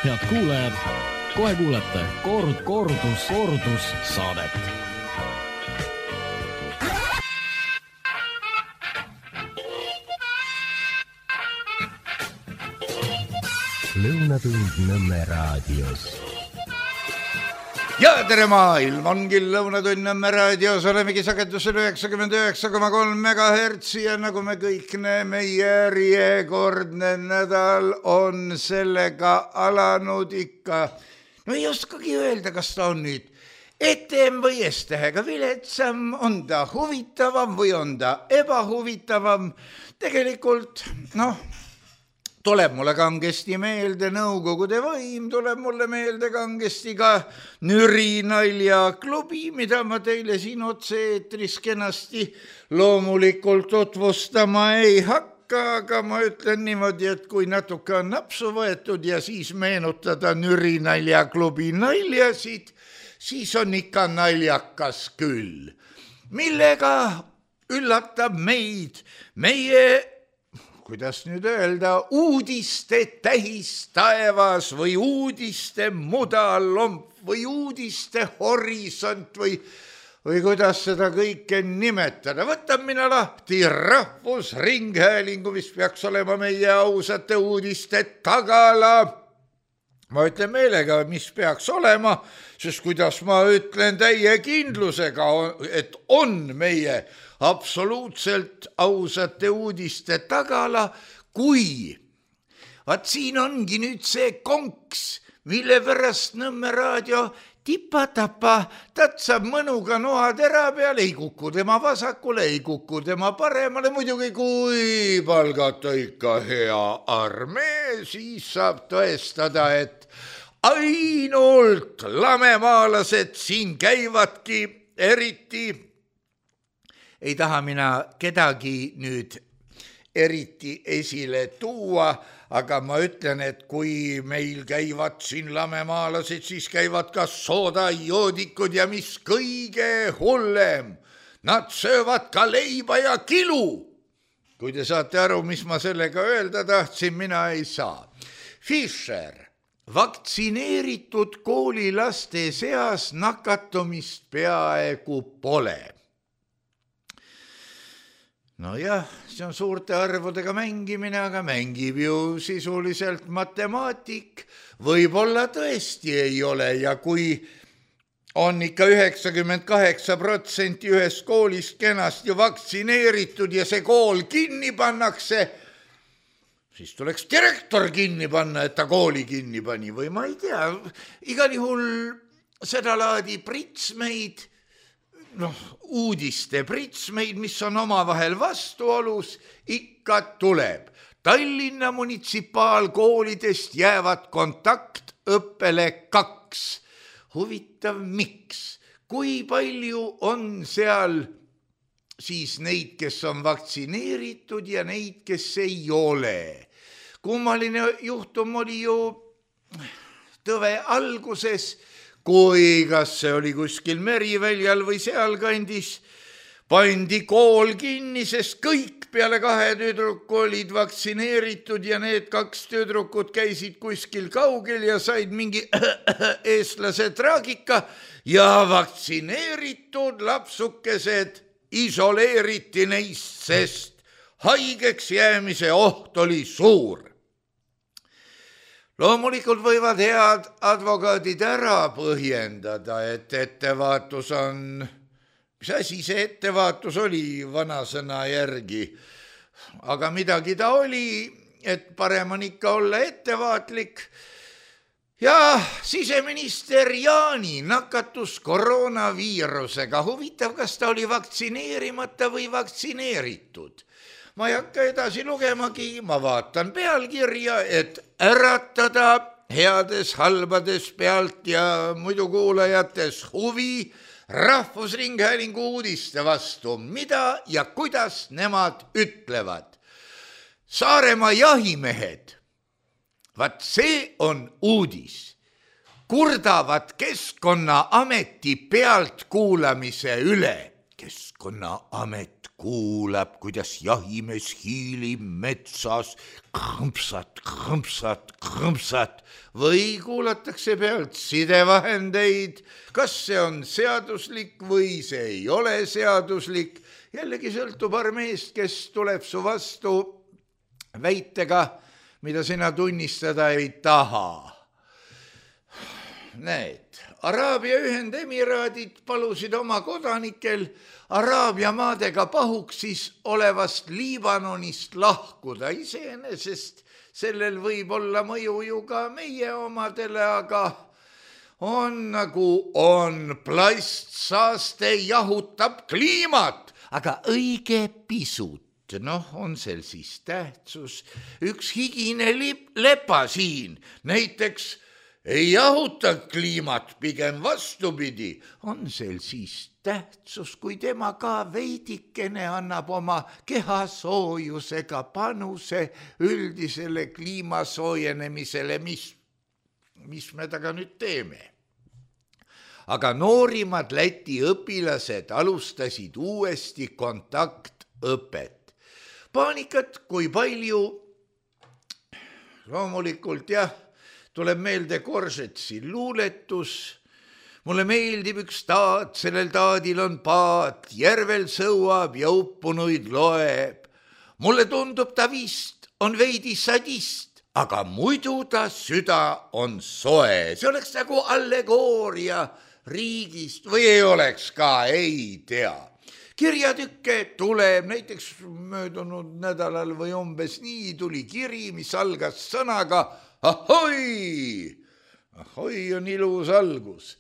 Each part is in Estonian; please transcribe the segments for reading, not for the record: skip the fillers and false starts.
Head kuulajad, kohe kuulete kordus saadet. Lõunatund Nõmme raadios. Ja tere maailm, ongi Lõunatund Nõmme raadios, olemegi sagedusel 99,3 MHz ja nagu me kõik näeme, järjekordne nädal on sellega alanud ikka. No ei oskagi öelda, kas ta on nüüd etem või S-tähega viletsam, on ta huvitavam või on ta ebahuvitavam. Tegelikult, tuleb mulle kangesti meelde Nõukogude võim, tuleb mulle meelde kangesti ka Nüri naljaklubi, mida ma teile siin otse-eetris kenasti loomulikult tutvustama ei hakka, aga ma ütlen niimoodi, et kui natuke on napsu võetud ja siis meenutada Nüri naljaklubi naljasid, siis on ikka naljakas küll. Millega üllatab meid meie kuidas nüüd öelda, uudiste tähis taevas või uudiste mudalomp või uudiste horisont või kuidas seda kõike nimetada. Võtan mina lahti Rahvusringhäälingu, mis peaks olema meie ausate uudiste tagala. Ma ütlen meelega, mis peaks olema, sest kuidas ma ütlen täie kindlusega, et on meie absoluutselt ausate uudiste tagala, kui vaat siin ongi nüüd see konks, mille pärast Nõmme raadio tipa-tapa tatsab mõnuga noatera peal, ei kuku tema vasakule, ei kuku tema paremale, muidugi kui palgata ikka hea armee, siis saab tõestada, et ainult lamemaalased siin käivadki, eriti ei taha mina kedagi nüüd eriti esile tuua, aga ma ütlen, et kui meil käivad siin lamemaalased, siis käivad ka soodajoodikud ja mis kõige hullem, nad söövad ka leiba ja kilu. Kui te saate aru, mis ma sellega öelda tahtsin, mina ei saa. Fischer, vaktsineeritud koolilaste seas nakatumist peaaegu pole. Nojah, see on suurte arvudega mängimine, aga mängib ju sisuliselt matemaatik. Võib-olla tõesti ei ole ja kui on ikka 98% ühes koolis kenasti vaktsineeritud ja see kool kinni pannakse, siis tuleks direktor kinni panna, et ta kooli kinni pani või ma ei tea. Igal juhul seda laadi pritsmeid, uudiste pritsmeid, mis on omavahel vastuolus, ikka tuleb. Tallinna munitsipaalkoolidest jäävad kontaktõppele 2. Huvitav, miks? Kui palju on seal siis neid, kes on vaktsineeritud ja neid, kes ei ole? Kummaline juhtum oli ju Tõve alguses, kui kas see oli kuskil Meriväljal või sealkandis, pandi kool kinni, sest kõik peale 2 tüdruku olid vaktsineeritud ja need 2 tüdrukut käisid kuskil kaugel ja said mingi eestlase traagika ja vaktsineeritud lapsukesed isoleeriti neist, sest haigeks jäämise oht oli suur. Loomulikult võivad head advokaadid ära põhjendada, et ettevaatus on, mis asi see ettevaatus oli vanasõna järgi, aga midagi ta oli, et parem on ikka olla ettevaatlik. Ja siseminister Jaani nakatus koroonaviirusega. Huvitav, kas ta oli vaktsineerimata või vaktsineeritud? Ma ei hakka edasi lugemagi, ma vaatan pealkirja, et äratada heades halbades pealt ja muidu kuulajates huvi Rahvusringhäälingu uudiste vastu, mida ja kuidas nemad ütlevad. Saaremaa jahimehed, vaat see on uudis, kurdavad Keskkonnaameti pealtkuulamise üle. Keskkonnaamet kuulab, kuidas jahimees hiilib metsas krõmpsat, krõmpsat, krõmpsat või kuulatakse pealt sidevahendeid, kas see on seaduslik või see ei ole seaduslik. Jällegi sõltub armeest, kes tuleb su vastu väitega, mida sina tunnistada ei taha. Näed, Araabia Ühendemiraadid palusid oma kodanikel Araabia maadega pahuksis olevast Liibanonist lahkuda. Iseenesest sellel võib olla mõju ju ka meie omadele, aga on nagu on. Plastsaaste jahutab kliimat, aga õige pisut. On sel siis tähtsus. Üks higine lepa siin näiteks ei jahuta kliimat, pigem vastupidi. On sel siis tähtsus, kui tema ka veidikene annab oma kehasoojusega panuse üldisele kliimasoojenemisele, mis me taga nüüd teeme. Aga noorimad Läti õpilased alustasid uuesti kontaktõpet. Paanikat kui palju, loomulikult tuleb meelde Koržetsi luuletus. Mulle meeldib üks taat, sellel taadil on paat, järvel sõuab ja uppunuid loeb. Mulle tundub ta vist on veidi sadist, aga muidu ta süda on soe. See oleks nagu allegooria riigist või ei oleks ka, ei tea. Kirjatükke tuleb, näiteks möödunud nädalal või umbes nii tuli kiri, mis algas sõnaga ahoi. Ahoi on ilus algus.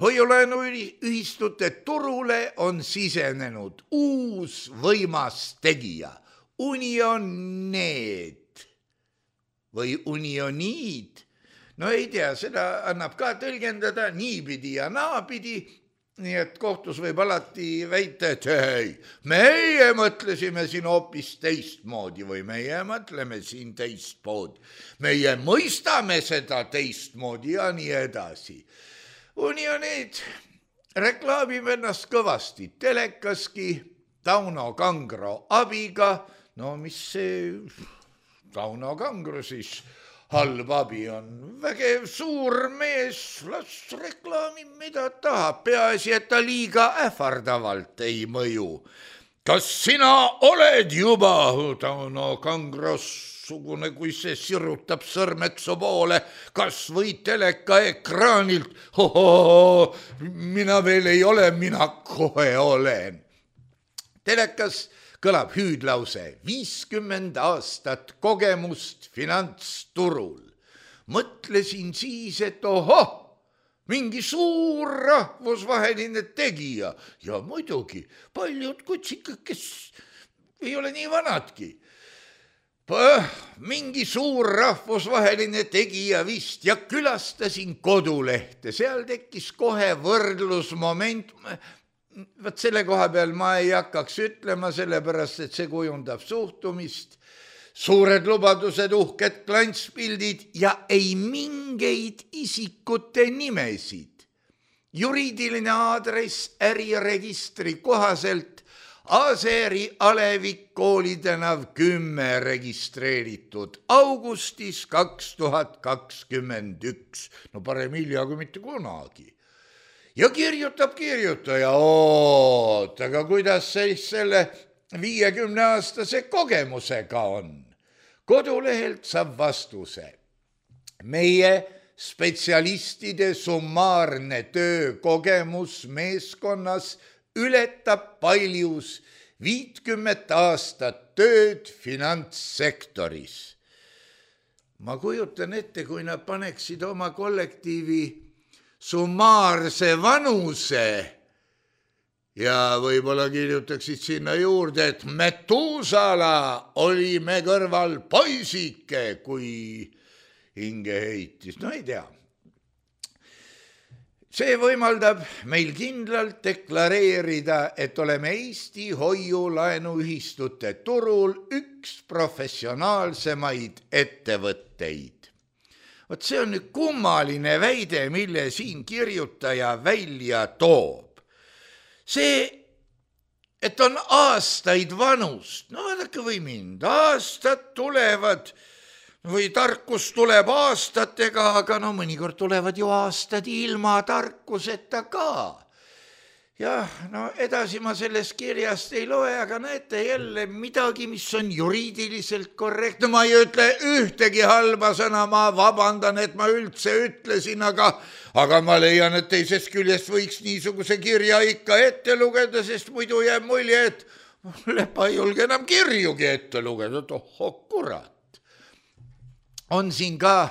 Hoiulaenuühistute turule on sisenenud uus võimas tegija. Unionid või unioniid. No ei tea, seda annab ka tõlgendada niipidi ja naapidi. Nii et kohtus võib alati väita, et ei, meie mõtlesime siin hoopis teistmoodi või meie mõtleme siin teistmoodi. Meie mõistame seda teistmoodi ja nii edasi. Unionid reklaamib ennast kõvasti telekaski Tauno Kangro abiga. No mis see Tauno Kangro siis? Halb abi on vägev suur mees, las reklaamib mida tahab, peaasi, et ta liiga ähvardavalt ei mõju. Kas sina oled juba Tauno Kangros sugune, kui see sirutab sõrmed su poole, kas või teleka ekraanilt? Mina veel ei ole, mina kohe olen. Telekas kõlab hüüdlause 50 aastat kogemust finantsturul. Mõtlesin siis, et mingi suur rahvusvaheline tegija ja muidugi paljud kutsikad, kes ei ole nii vanadki. Mingi suur rahvusvaheline tegija vist ja külastasin kodulehte, seal tekkis kohe võrdlusmoment. Võt selle koha peal ma ei hakkaks ütlema, sellepärast, et see kujundab suhtumist, suured lubadused, uhked klantspildid ja ei mingeid isikute nimesid. Juriidiline aadress äriregistri kohaselt Aseri Alevik koolitänav 10 registreeritud augustis 2021. No parem hilja kui mitte kunagi. Ja kirjutab kirjutaja, aga kuidas siis selle 50-aastase kogemusega on? Kodulehelt saab vastuse. Meie spetsialistide summaarne töökogemus meeskonnas ületab paljus 50 aastat tööd finantssektoris. Ma kujutan ette, kui nad paneksid oma kollektiivi summaarse vanuse ja võib-olla kirjutaksid sinna juurde, et Metusala oli me kõrval poisike, kui hinge heitis. No ei tea. See võimaldab meil kindlalt deklareerida, et oleme Eesti hoiulaenuühistute turul üks professionaalsemaid ettevõtteid. Vot see on nüüd kummaline väide, mille siin kirjutaja välja toob. See et on aastaid vanust. No vaadake või mind, aastad tulevad või tarkus tuleb aastatega, aga no mõnikord tulevad ju aastad ilma tarkuseta ka. Jah, no edasi ma sellest kirjast ei loe, aga näete jälle midagi, mis on juriidiliselt korrektne. Ma ei ütle ühtegi halba sõna, ma vabandan, et ma üldse ütlesin, aga ma leian, et teisest küljest võiks niisuguse kirja ikka ette lugeda, sest muidu jääb mulje, et Lepa ei julge enam kirjugi ette lugeda. Tohho kurat. On siin ka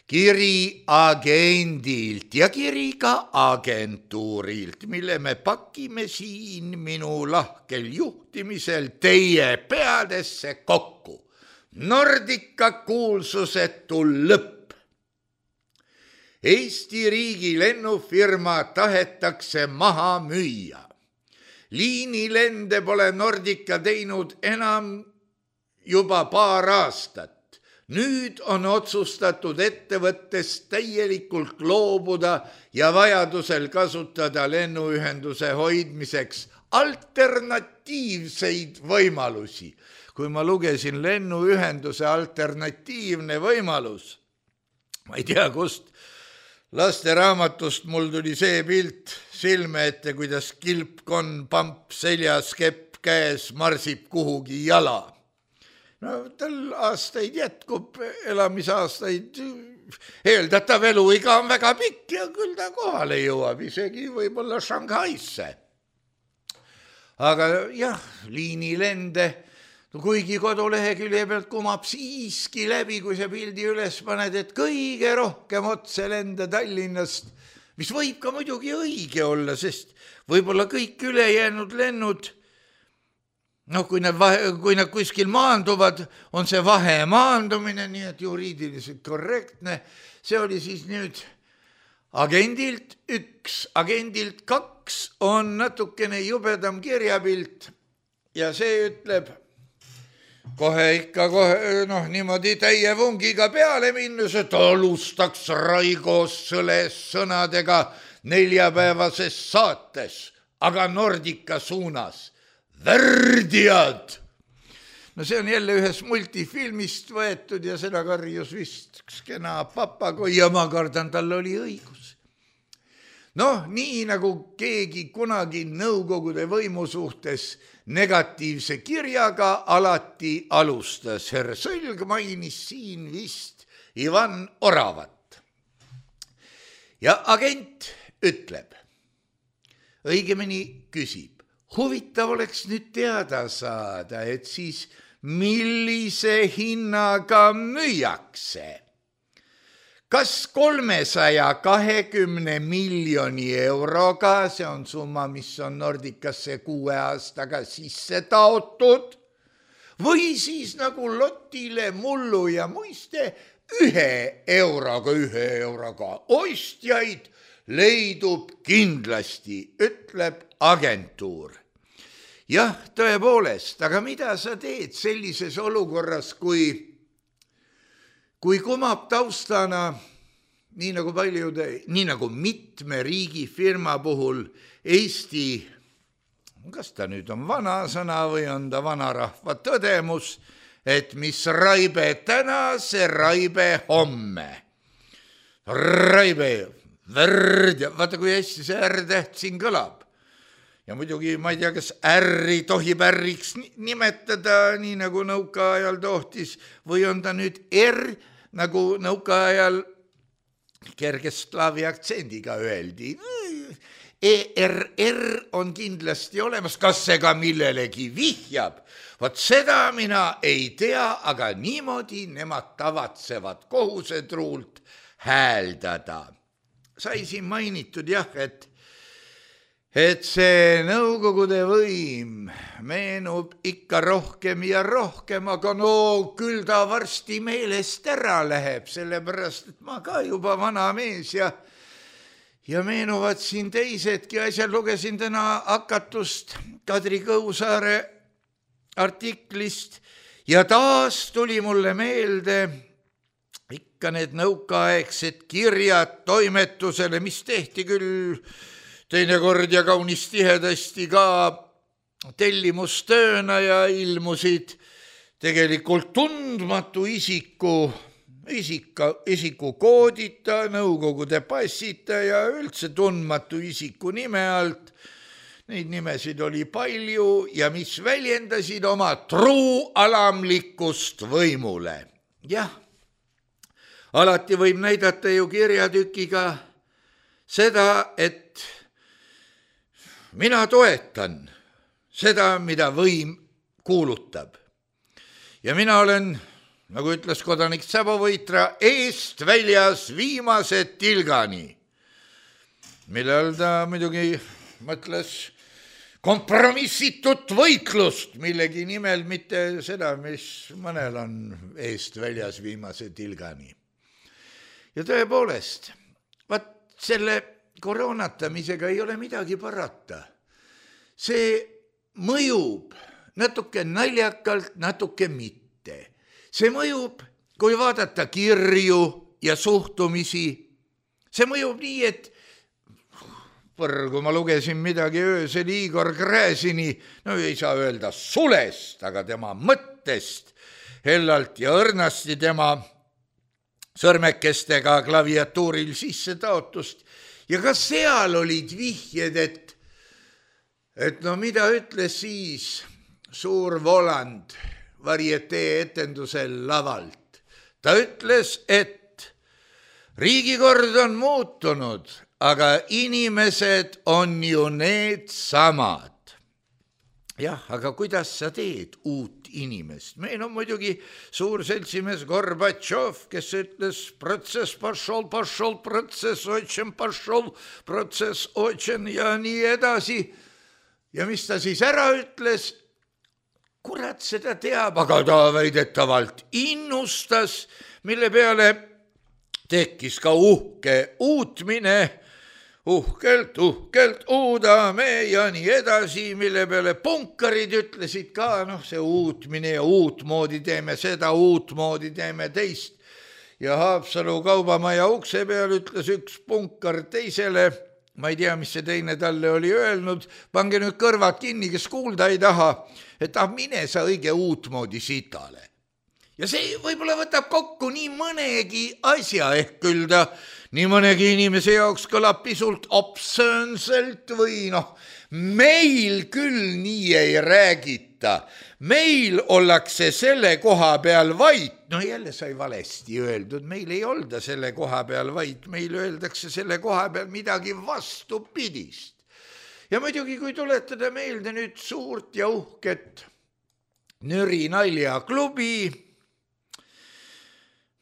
kiri agendilt ja kiri ka agentuurilt, mille me pakime siin minu lahkel juhtimisel teie peadesse kokku. Nordica kuulsusetu lõpp. Eesti riigi lennufirma tahetakse maha müüa. Liinilende pole Nordica teinud enam juba paar aastat. Nüüd on otsustatud ettevõttest täielikult loobuda ja vajadusel kasutada lennuühenduse hoidmiseks alternatiivseid võimalusi. Kui ma lugesin lennuühenduse alternatiivne võimalus, ma ei tea kust, lasteraamatust mul tuli see pilt silme ette, kuidas kilpkonn, pamp seljas, kepp käes marsib kuhugi jala. No tal aastaid jätkub, elamisaastaid, eeldatav eluiga on väga pikk ja küll ta kohale jõuab, isegi võib-olla Shanghaisse. Aga jah, liinilende, kuigi kodulehekülje pealt kumab siiski läbi, kui sa pildi üles paned, et kõige rohkem otse lenda Tallinnast, mis võib ka muidugi õige olla, sest võib-olla kõik ülejäänud lennud, kui nad kuskil maanduvad, on see vahemaandumine, nii et juriidiliselt korrektne. See oli siis nüüd agendilt 1, agendilt 2 on natukene jubedam kirjapilt ja see ütleb kohe niimoodi täie vungiga peale minnes, et alustaks Raigo Sõles sõnadega neljapäevases saates, aga Nordica suunas. Värdjad! No see on jälle ühes multifilmist võetud ja seda karjus vist üks kena papagoi ja ma kardan, tal oli õigus. Nii nagu keegi kunagi nõukogude võimu suhtes negatiivse kirjaga alati alustas. Herr Sõlg mainis siin vist Ivan Oravat. Ja agent ütleb, õigemini küsib, huvitav oleks nüüd teada saada, et siis millise hinnaga müüakse. Kas 320 miljoni euroga, see on summa, mis on Nordicasse 6 aastaga sisse taotud, või siis nagu lotile mullu ja muiste 1 euroga ostjaid leidub kindlasti, ütleb agentuur. Jah, tõepoolest, aga mida sa teed sellises olukorras, kui kumab taustana, nii nagu mitme riigifirma puhul Eesti, kas ta nüüd on vana sõna või on ta vanarahva tõdemus, et mis raibe täna, see raibe homme. Raibe, värd ja vaata, kui hästi see R-täht siin kõlab. Ja muidugi ma ei tea, kas R-i tohib R-iks nimetada, nii nagu nõukaajal tohtis, või on ta nüüd R, nagu nõukaajal kergeslaavi aktsendiga öeldi. ERR on kindlasti olemas, kas see ka millelegi vihjab? Vot seda mina ei tea, aga niimoodi nemad tavatsevad kohusetruult hääldada. Sai siin mainitud jah, et see nõukogude võim meenub ikka rohkem ja rohkem, aga küll ta varsti meelest ära läheb, sellepärast, et ma ka juba vana mees ja meenuvad siin teisedki asjad. Lugesin täna hakatust Kadri Kõusaare artiklist ja taas tuli mulle meelde ikka need nõukaaegsed kirjad toimetusele, mis tehti küll teinekord ja kaunis tihedasti ka tellimustööna ja ilmusid tegelikult tundmatu isiku koodita, Nõukogude passita ja üldse tundmatu isiku nime alt. Neid nimesid oli palju ja mis väljendasid oma truualamlikkust võimule. Jah, alati võib näidata ju kirjatükiga seda, et mina toetan seda, mida võim kuulutab. Ja mina olen, nagu ütles kodanik Säbovõitra, eest väljas viimase tilgani, mille all ta muidugi mõtles kompromissitut võitlust millegi nimel, mitte seda, mis mõnel on eest väljas viimase tilgani. Ja tõepoolest, vaat selle koroonatamisega ei ole midagi parata. See mõjub natuke naljakalt, natuke mitte. See mõjub, kui vaadata kirju ja suhtumisi. See mõjub nii, et kui ma lugesin midagi öösel Igor Gräzini, no ei saa öelda sulest, aga tema mõttest hellalt ja õrnasti tema sõrmekestega klaviatuuril sisse taotust. Ja ka seal olid vihjed, et no mida ütles siis suur Voland varietee etendusel lavalt. Ta ütles, et riigikord on muutunud, aga inimesed on ju need samad. Jah, aga kuidas sa teed uut inimest? Meil on muidugi suur seltsimees Gorbatšov, kes ütles protsess pašol, protsess otšen ja nii edasi. Ja mis ta siis ära ütles? Kurat seda teab, aga ta väidetavalt innustas, mille peale tekkis ka uhke uutmine, uhkelt uudame ja nii edasi, mille peale punkarid ütlesid ka, see uutmine ja uutmoodi teeme seda, uutmoodi teeme teist. Ja Haapsalu kaubamaja ukse peal ütles üks punkar teisele, ma ei tea, mis see teine talle oli öelnud, pange nüüd kõrvad kinni, kes kuulda ei taha, et mine sa õige uutmoodi sitale. Ja see võib-olla võtab kokku nii mõnegi asja, ehk küll ta nii mõnegi inimese jaoks kõlab pisult obsöönselt või meil küll nii ei räägita. Meil ollakse selle koha peal vait. Jälle sai valesti öeldud, meil ei olda selle koha peal vait, meil öeldakse selle koha peal midagi vastupidist. Ja muidugi, kui tuletada meelde nüüd suurt ja uhket Nüri naljaklubi,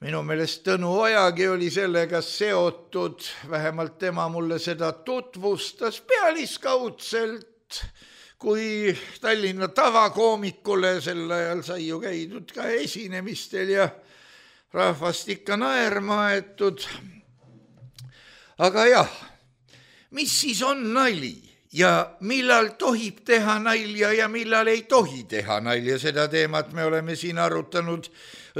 minu meelest Tõnu Ojagi oli sellega seotud, vähemalt tema mulle seda tutvustas pealiskaudselt, kui Tallinna tavakoomikule sel ajal sai ju käidud ka esinemistel ja rahvast ikka naerma aetud. Aga jah, mis siis on nali ja millal tohib teha nalja ja millal ei tohi teha nalja, seda teemat me oleme siin arutanud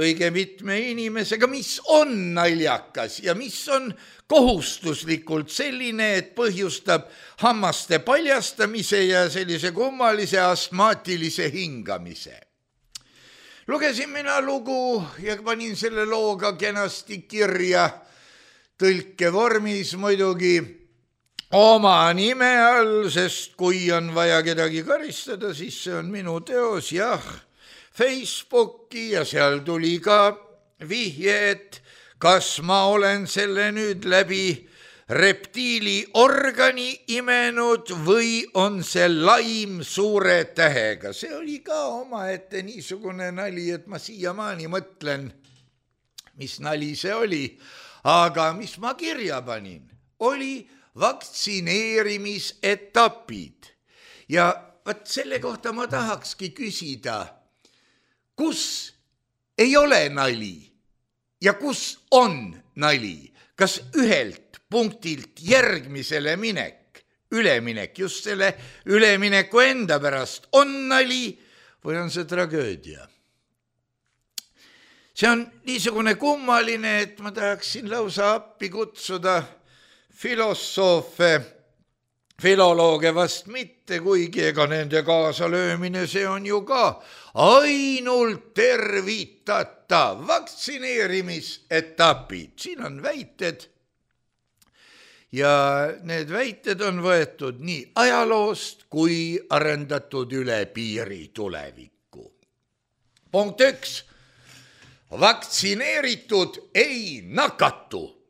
õige mitme inimesega, mis on naljakas ja mis on kohustuslikult selline, et põhjustab hammaste paljastamise ja sellise kummalise astmaatilise hingamise. Lugesin mina lugu ja panin selle looga kenasti kirja tõlkevormis muidugi oma nime all, sest kui on vaja kedagi karistada, siis see on minu teos, jah, Facebooki ja seal tuli ka vihje, et kas ma olen selle nüüd läbi reptiiliorgani imenud või on see laim suure tähega. See oli ka omaette niisugune nali, et ma siiamaani mõtlen, mis nali see oli. Aga mis ma kirja panin, oli vaktsineerimisetapid. Ja vaat selle kohta ma tahakski küsida, kus ei ole nali ja kus on nali? Kas ühelt punktilt järgmisele üleminek, just selle ülemineku enda pärast on nali või on see tragöödia? See on niisugune kummaline, et ma tahaksin lausa appi kutsuda filolooge vast mitte, kuigi ega nende kaasalöömine, see on ju ka ainult tervitatav vaktsineerimisetapid. Siin on väited ja need väited on võetud nii ajaloost kui arendatud üle piiri tulevikku. Punkt 1. Vaktsineeritud ei nakatu.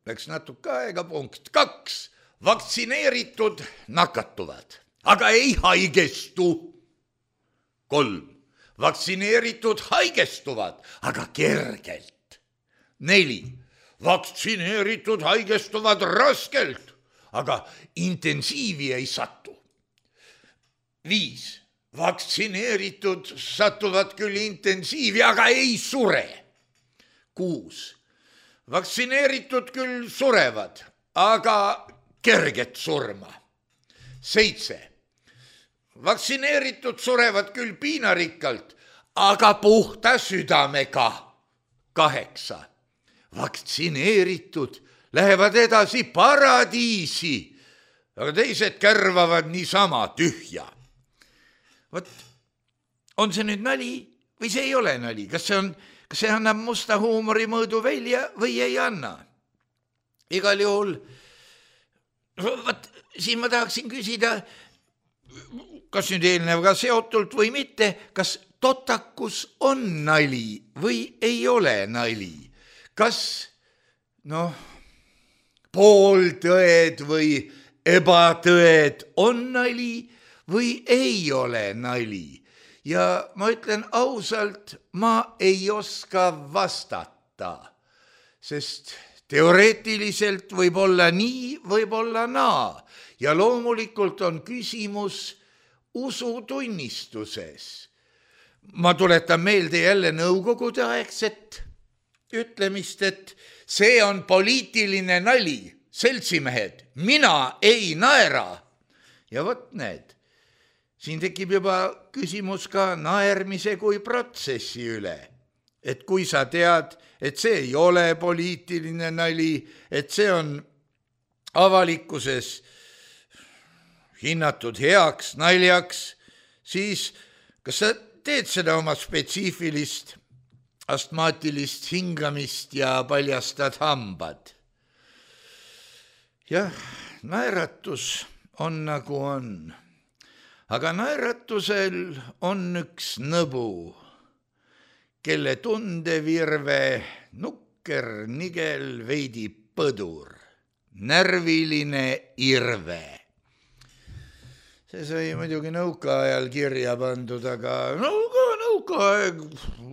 Läks natuke aega. Punkt 2. Vaktsineeritud nakatuvad, aga ei haigestu. 3. Vaktsineeritud haigestuvad, aga kergelt. 4. Vaktsineeritud haigestuvad raskelt, aga intensiivi ei satu. 5. Vaktsineeritud satuvad küll intensiivi, aga ei sure. 6. Vaktsineeritud küll surevad, aga kerget surma. 7. Vaktsineeritud surevad küll piinarikkalt, aga puhta südamega. 8. Vaktsineeritud lähevad edasi paradiisi, aga teised kärvavad niisama tühja. Vot, on see nüüd nali või see ei ole nali? Kas see annab musta huumori mõõdu välja või ei anna? Igal juhul, siin ma tahaksin küsida, kas nüüd eelnevaga seotult või mitte, kas totakus on nali või ei ole nali? Kas, pooltõed või ebatõed on nali või ei ole nali? Ja ma ütlen ausalt, ma ei oska vastata, sest teoreetiliselt võib olla nii, võib olla naa. Ja loomulikult on küsimus usutunnistuses. Ma tuletan meelde jälle nõukogude aegset ütlemist, et see on poliitiline nali, seltsimehed, mina ei naera. Ja vot need. Siin tekib juba küsimus ka naermise kui protsessi üle. Et kui sa tead, et see ei ole poliitiline nali, et see on avalikkuses hinnatud heaks naljaks, siis kas sa teed seda oma spetsiifilist astmaatilist hingamist ja paljastad hambad? Jah, naeratus on nagu on. Aga naeratusel on üks nõbu, kelle tundevirve nukker, nigel, veidi põdur, närviline irve. See sai muidugi nõukaajal kirja pandud, aga nõukaaeg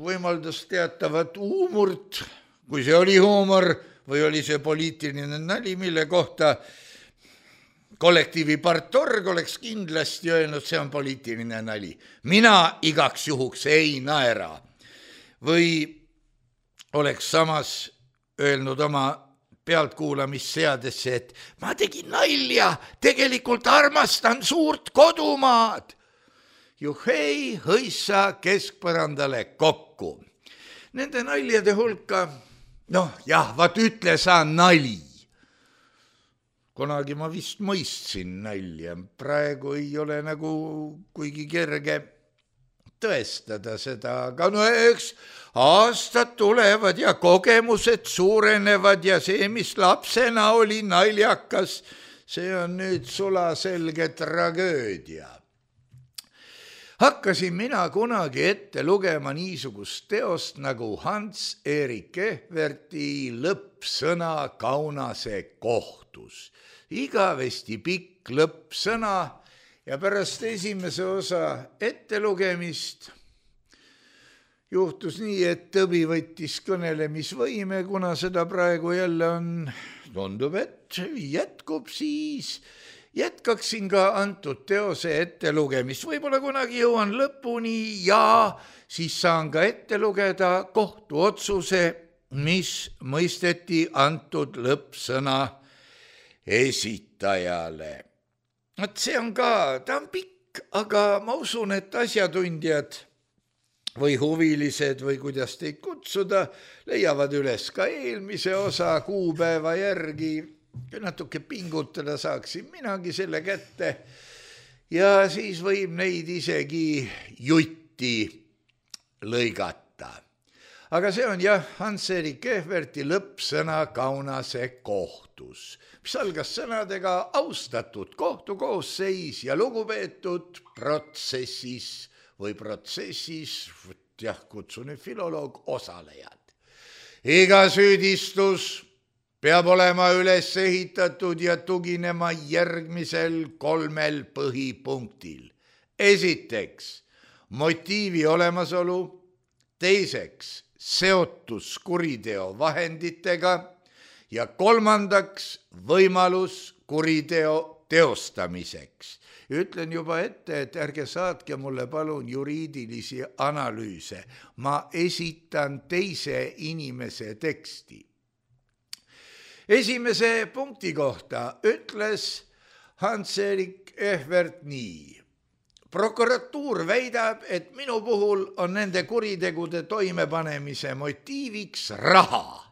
võimaldas teatavat huumort, kui see oli huumor või oli see poliitiline nali, mille kohta kollektiivi partorg oleks kindlasti öelnud, see on poliitiline nali. Mina igaks juhuks ei naera. Või oleks samas öelnud oma pealtkuulamisseadesse, et ma tegin nalja, tegelikult armastan suurt kodumaad. Juhei, hõissa keskpõrandale kokku. Nende naljade hulka, vaat ütle sa nali. Kunagi ma vist mõistsin nalja, praegu ei ole nagu kuigi kerge tõestada seda, aga eks aastad tulevad ja kogemused suurenevad ja see, mis lapsena oli naljakas, see on nüüd sulaselge tragöödia. Hakkasin mina kunagi ette lugema niisugust teost nagu Hans-Erik Ehverti lõppsõna Kaunase kohtus. Igavesti pikk lõppsõna ja pärast esimese osa ettelugemist juhtus nii, et tõbi võttis kõnelemisvõime, kuna seda praegu jälle on, tundub, et jätkub, siis jätkaksin ka antud teose ettelugemist. Võib-olla kunagi jõuan lõpuni ja siis saan ka ette lugeda kohtuotsuse, mis mõisteti antud lõppsõna esitajale. See on ka, ta on pikk, aga ma usun, et asjatundjad või huvilised või kuidas teid kutsuda, leiavad üles ka eelmise osa kuupäeva järgi kui natuke pingutada saaksin minagi selle kätte ja siis võib neid isegi jutti lõigata. Aga see on jah Hans-Erik Ehverti lõppsõna Kaunase kohtus, mis algas sõnadega austatud kohtukoosseis ja lugupeetud protsessis või protsessis, jah, kutsun nüüd filoloog, osalejad. Iga süüdistus peab olema üles ehitatud ja tuginema järgmisel 3 põhipunktil. Esiteks, motiivi olemasolu, teiseks, seotus kuriteo vahenditega ja 3. võimalus kuriteo teostamiseks. Ütlen juba ette, et ärge saatke mulle palun juriidilisi analüüse. Ma esitan teise inimese teksti. Esimese punkti kohta ütles Hans-Erik Ehvert nii. Prokuratuur väidab, et minu puhul on nende kuritegude toimepanemise motiiviks raha.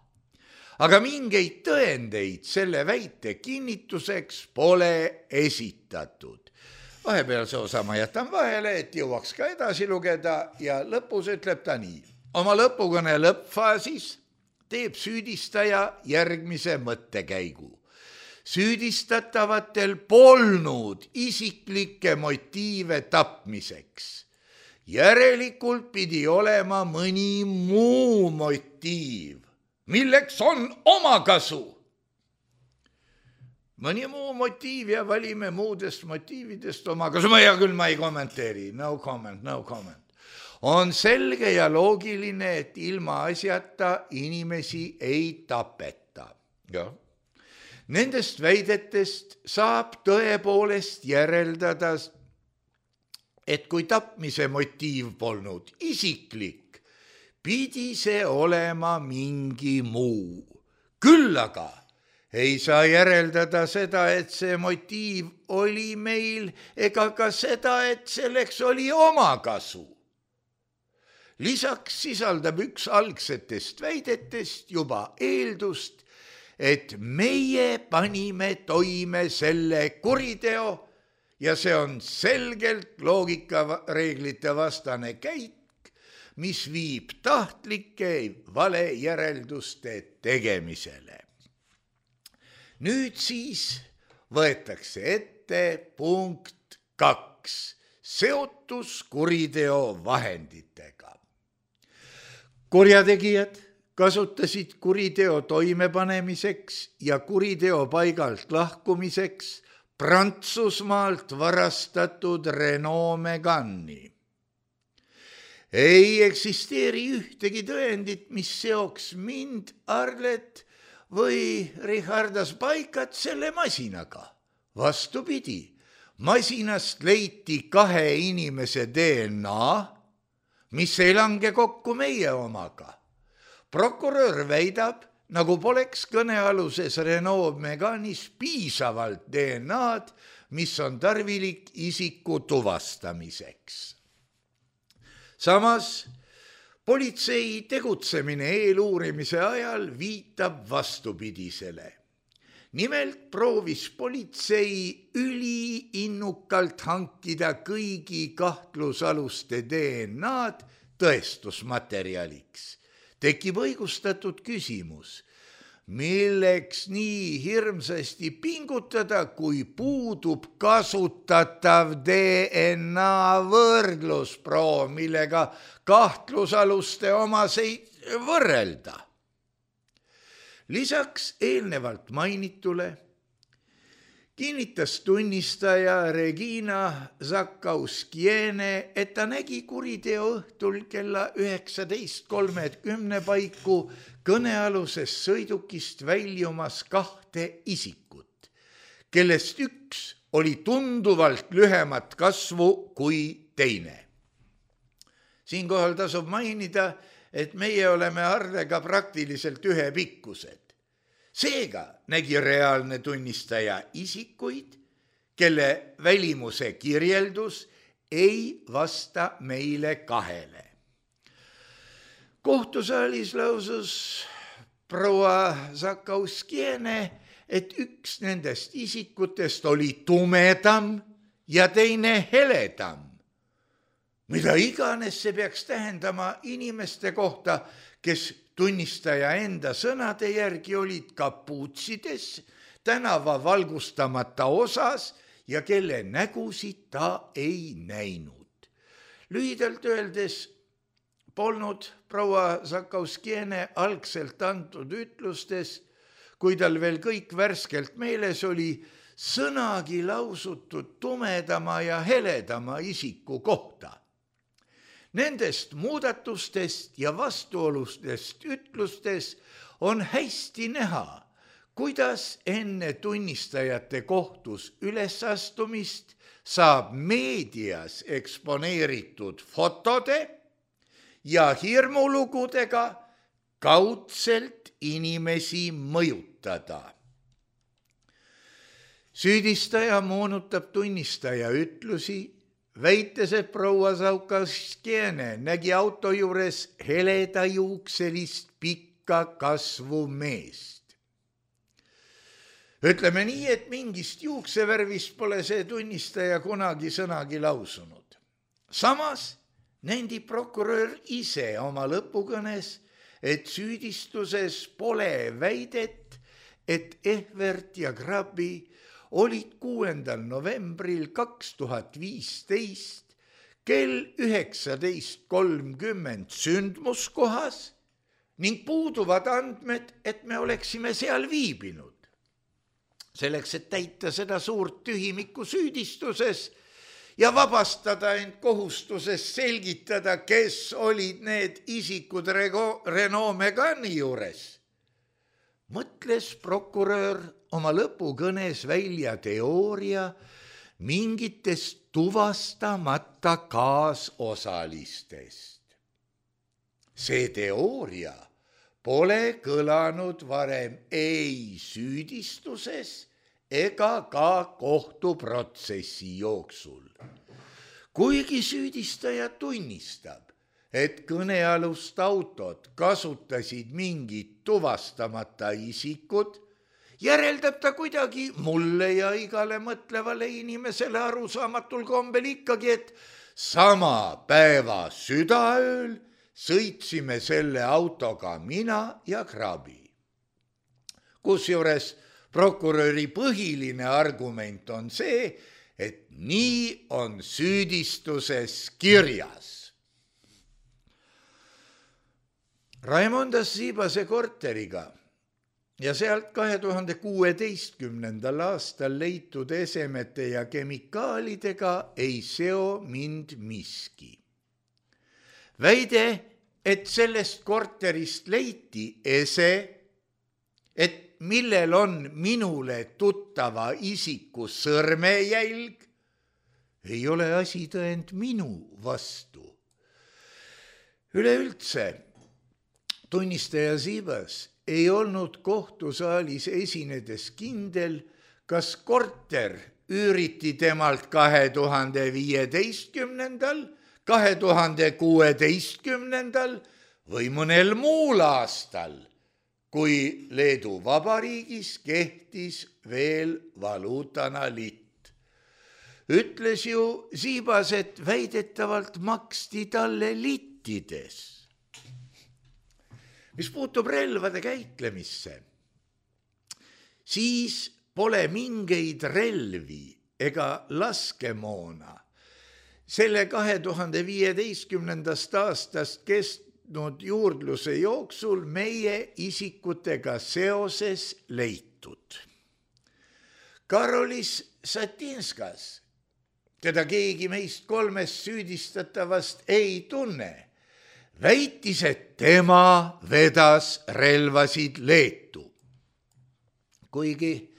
Aga mingeid tõendeid selle väite kinnituseks pole esitatud. Vahepealse osa ma jätan vahele, et jõuaks ka edasi lugeda ja lõpus ütleb ta nii. Oma lõpukõne lõppfaasis teeb süüdistaja järgmise mõttekäigu. Süüdistatavatel polnud isiklikke motiive tapmiseks. Järelikult pidi olema mõni muu motiiv, milleks on omakasu. Mõni muu motiiv ja valime muudest motiividest omakasu. Ma ei kommenteeri. No comment. On selge ja loogiline, et ilma asjata inimesi ei tapeta. Jah. Nendest väidetest saab tõepoolest järeldada, et kui tapmise motiiv polnud isiklik, pidi see olema mingi muu. Küll aga ei saa järeldada seda, et see motiiv oli meil, ega ka seda, et selleks oli omakasu. Lisaks sisaldab üks algsetest väidetest juba eeldust, et meie panime toime selle kuriteo ja see on selgelt loogikareeglite vastane käik, mis viib tahtlike valejärelduste tegemisele. Nüüd siis võetakse ette punkt 2, seotus kuriteo vahenditega. Kurjategijad kasutasid kuriteo toimepanemiseks ja kuriteo paigalt lahkumiseks Prantsusmaalt varastatud Renault Megani. Ei eksisteeri ühtegi tõendit, mis seoks mind, Arlet või Richardas Paikat selle masinaga. Vastupidi, masinast leiti 2 inimese DNA, mis ei lange kokku meie omaga. Prokurör väidab, nagu poleks kõnealuses Renault Meganis piisavalt DNA-d, mis on tarvilik isiku tuvastamiseks. Samas, politsei tegutsemine eeluurimise ajal viitab vastupidisele. Nimelt proovis politsei üliinnukalt hankida kõigi kahtlusaluste DNA-d tõestusmaterjaliks. Tekib õigustatud küsimus, milleks nii hirmsasti pingutada, kui puudub kasutatav DNA võrdlusproov, millega kahtlusaluste omaseid võrrelda. Lisaks eelnevalt mainitule kinnitas tunnistaja Regina Zakauskiene, et ta nägi kuriteo õhtul kella 19:30 paiku kõnealusest sõidukist väljumas 2 isikut, kellest üks oli tunduvalt lühemat kasvu kui teine. Siinkohal tasub mainida, et meie oleme Arlega praktiliselt ühepikkused. Seega nägi reaalne tunnistaja isikuid, kelle välimuse kirjeldus ei vasta meile 2. Kohtusaalis lausus proua Zakauskiene, et üks nendest isikutest oli tumedam ja teine heledam. Mida iganes see peaks tähendama inimeste kohta, kes tunnistaja enda sõnade järgi olid kapuutsides, tänava valgustamata osas ja kelle nägusid ta ei näinud. Lühidalt öeldes polnud proua Zakauskiene algselt antud ütlustes, kui tal veel kõik värskelt meeles oli, sõnagi lausutud tumedama ja heledama isiku kohta. Nendest muudatustest ja vastuolustest ütlustes on hästi näha, kuidas enne tunnistajate kohtus ülesastumist saab meedias eksponeeritud fotode ja hirmulugudega kaudselt inimesi mõjutada. Süüdistaja moonutab tunnistaja ütlusi, väites, et proua Zakauskiene nägi auto juures heledajuukselist pikka kasvu meest. Ütleme nii, et mingist juuksevärvist pole see tunnistaja kunagi sõnagi lausunud. Samas nendib prokurör ise oma lõpukõnes, et süüdistuses pole väidet, et Ehvert ja Grabi olid 6. novembril 2015 kell 19.30 sündmuskohas ning puuduvad andmed, et me oleksime seal viibinud. Selleks, et täita seda suurt tühimikku süüdistuses ja vabastada end kohustusest selgitada, kes olid need isikud Renault Megani juures, mõtles prokurör oma lõpukõnes välja teooria mingitest tuvastamata kaasosalistest. See teooria pole kõlanud varem ei süüdistuses ega ka kohtuprotsessi jooksul. Kuigi süüdistaja tunnistab, et kõnealust autot kasutasid mingid tuvastamata isikud, järeldab ta kuidagi mulle ja igale mõtlevale inimesele arusaamatul kombel ikkagi, et sama päeva südaööl sõitsime selle autoga mina ja Grabi. Kusjuures prokuröri põhiline argument on see, et nii on süüdistuses kirjas. Raimondas Siibase korteriga ja sealt 2016. aastal leitud esemete ja kemikaalidega ei seo mind miski. Väide, et sellest korterist leiti ese, et millel on minule tuttava isiku sõrmejälg, ei ole asitõend minu vastu. Üleüldse, tunnistaja Siibas ei olnud kohtusaalis esinedes kindel, kas korter üüriti temalt 2015., 2016. või mõnel muul aastal, kui Leedu Vabariigis kehtis veel valuutana litt. Ütles ju Siibas, et väidetavalt maksti talle littides. Mis puutub relvade käitlemisse, siis pole mingeid relvi ega laskemoona selle 2015. aastast kestnud juurdluse jooksul meie isikutega seoses leitud. Karolis Satinskas, keda keegi meist kolmest süüdistatavast ei tunne, väitis, et tema vedas relvasid Leetu. Kuigi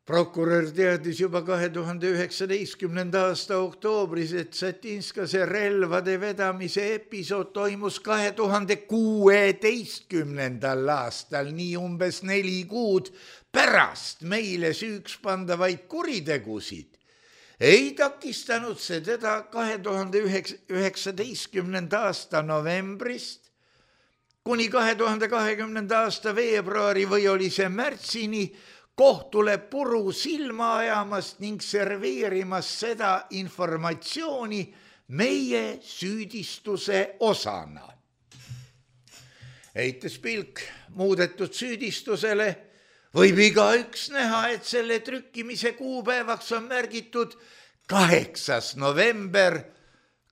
prokurör teadis juba 2019. aasta oktoobris, et Satinskase relvade vedamise episood toimus 2016. aastal, nii umbes 4 kuud pärast meile süüks pandavaid kuritegusid, ei takistanud see teda 2019. aasta novembrist kuni 2020. aasta veebruari või oli see märtsini kohtule puru silma ajamast ning serveerimas seda informatsiooni meie süüdistuse osana. Heites pilk muudetud süüdistusele, võib igaüks näha, et selle trükkimise kuupäevaks on märgitud 8. november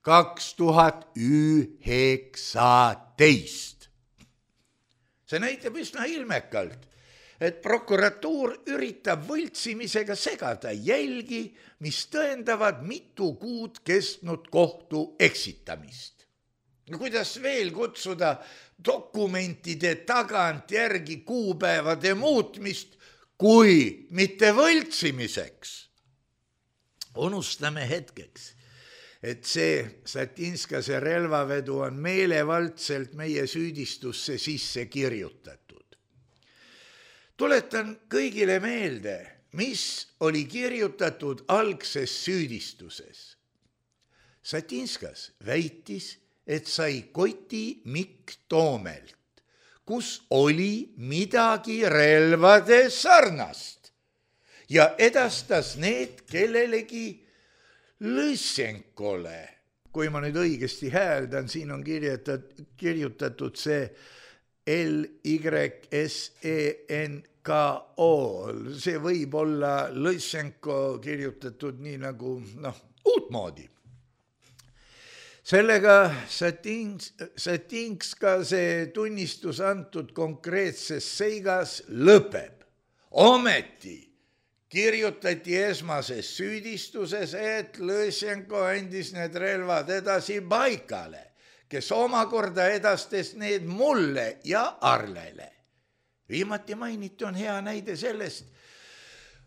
2019. See näitab üsna ilmekalt, et prokuratuur üritab võltsimisega segada jälgi, mis tõendavad mitu kuud kestnud kohtu eksitamist. Kuidas veel kutsuda dokumentide tagantjärgi kuupäevade muutmist, kui mitte võltsimiseks? Unustame hetkeks, et see Satinskase relvavedu on meelevaldselt meie süüdistusse sisse kirjutatud. Tuletan kõigile meelde, mis oli kirjutatud algses süüdistuses. Satinskas väitis, et sai koti Mikk Toomelt, kus oli midagi relvade sarnast ja edastas need kellelegi Lõssenkole. Kui ma nüüd õigesti hääldan, siin on kirjutatud see L-Y-S-E-N-K-O. See võib olla Lõssenko kirjutatud nii nagu uutmoodi. Sellega Satinskase tunnistus antud konkreetses seigas lõpeb. Ometi kirjutati esmases süüdistuses, et Lõssenko andis need relvad edasi Baikale, kes omakorda edastas need mulle ja Arlele. Viimati mainiti on hea näide sellest,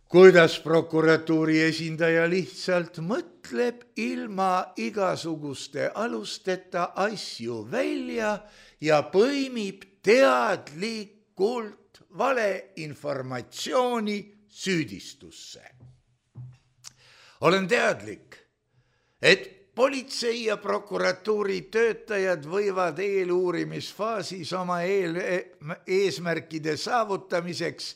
kuidas prokuratuuri esindaja lihtsalt mõtleb ilma igasuguste alusteta asju välja ja põimib teadlikult valeinformatsiooni süüdistusse. Olen teadlik, et politsei ja prokuratuuri töötajad võivad eeluurimisfaasis oma eesmärkide saavutamiseks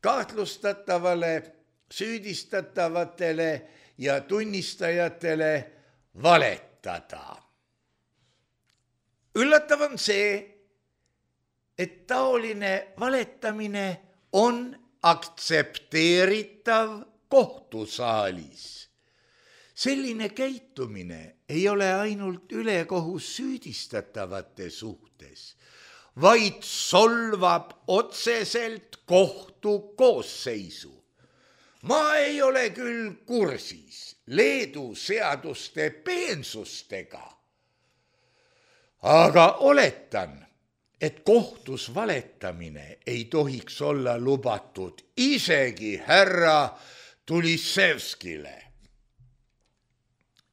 kahtlustatavale, süüdistatavatele ja tunnistajatele valetada. Üllatav on see, et taoline valetamine on aktsepteeritav kohtusaalis. Selline käitumine ei ole ainult ülekohus süüdistatavate suhtes, vaid solvab otseselt kohtu koosseisu. Ma ei ole küll kursis Leedu seaduste peensustega, aga oletan, et kohtus valetamine ei tohiks olla lubatud isegi härra Tulissevskile.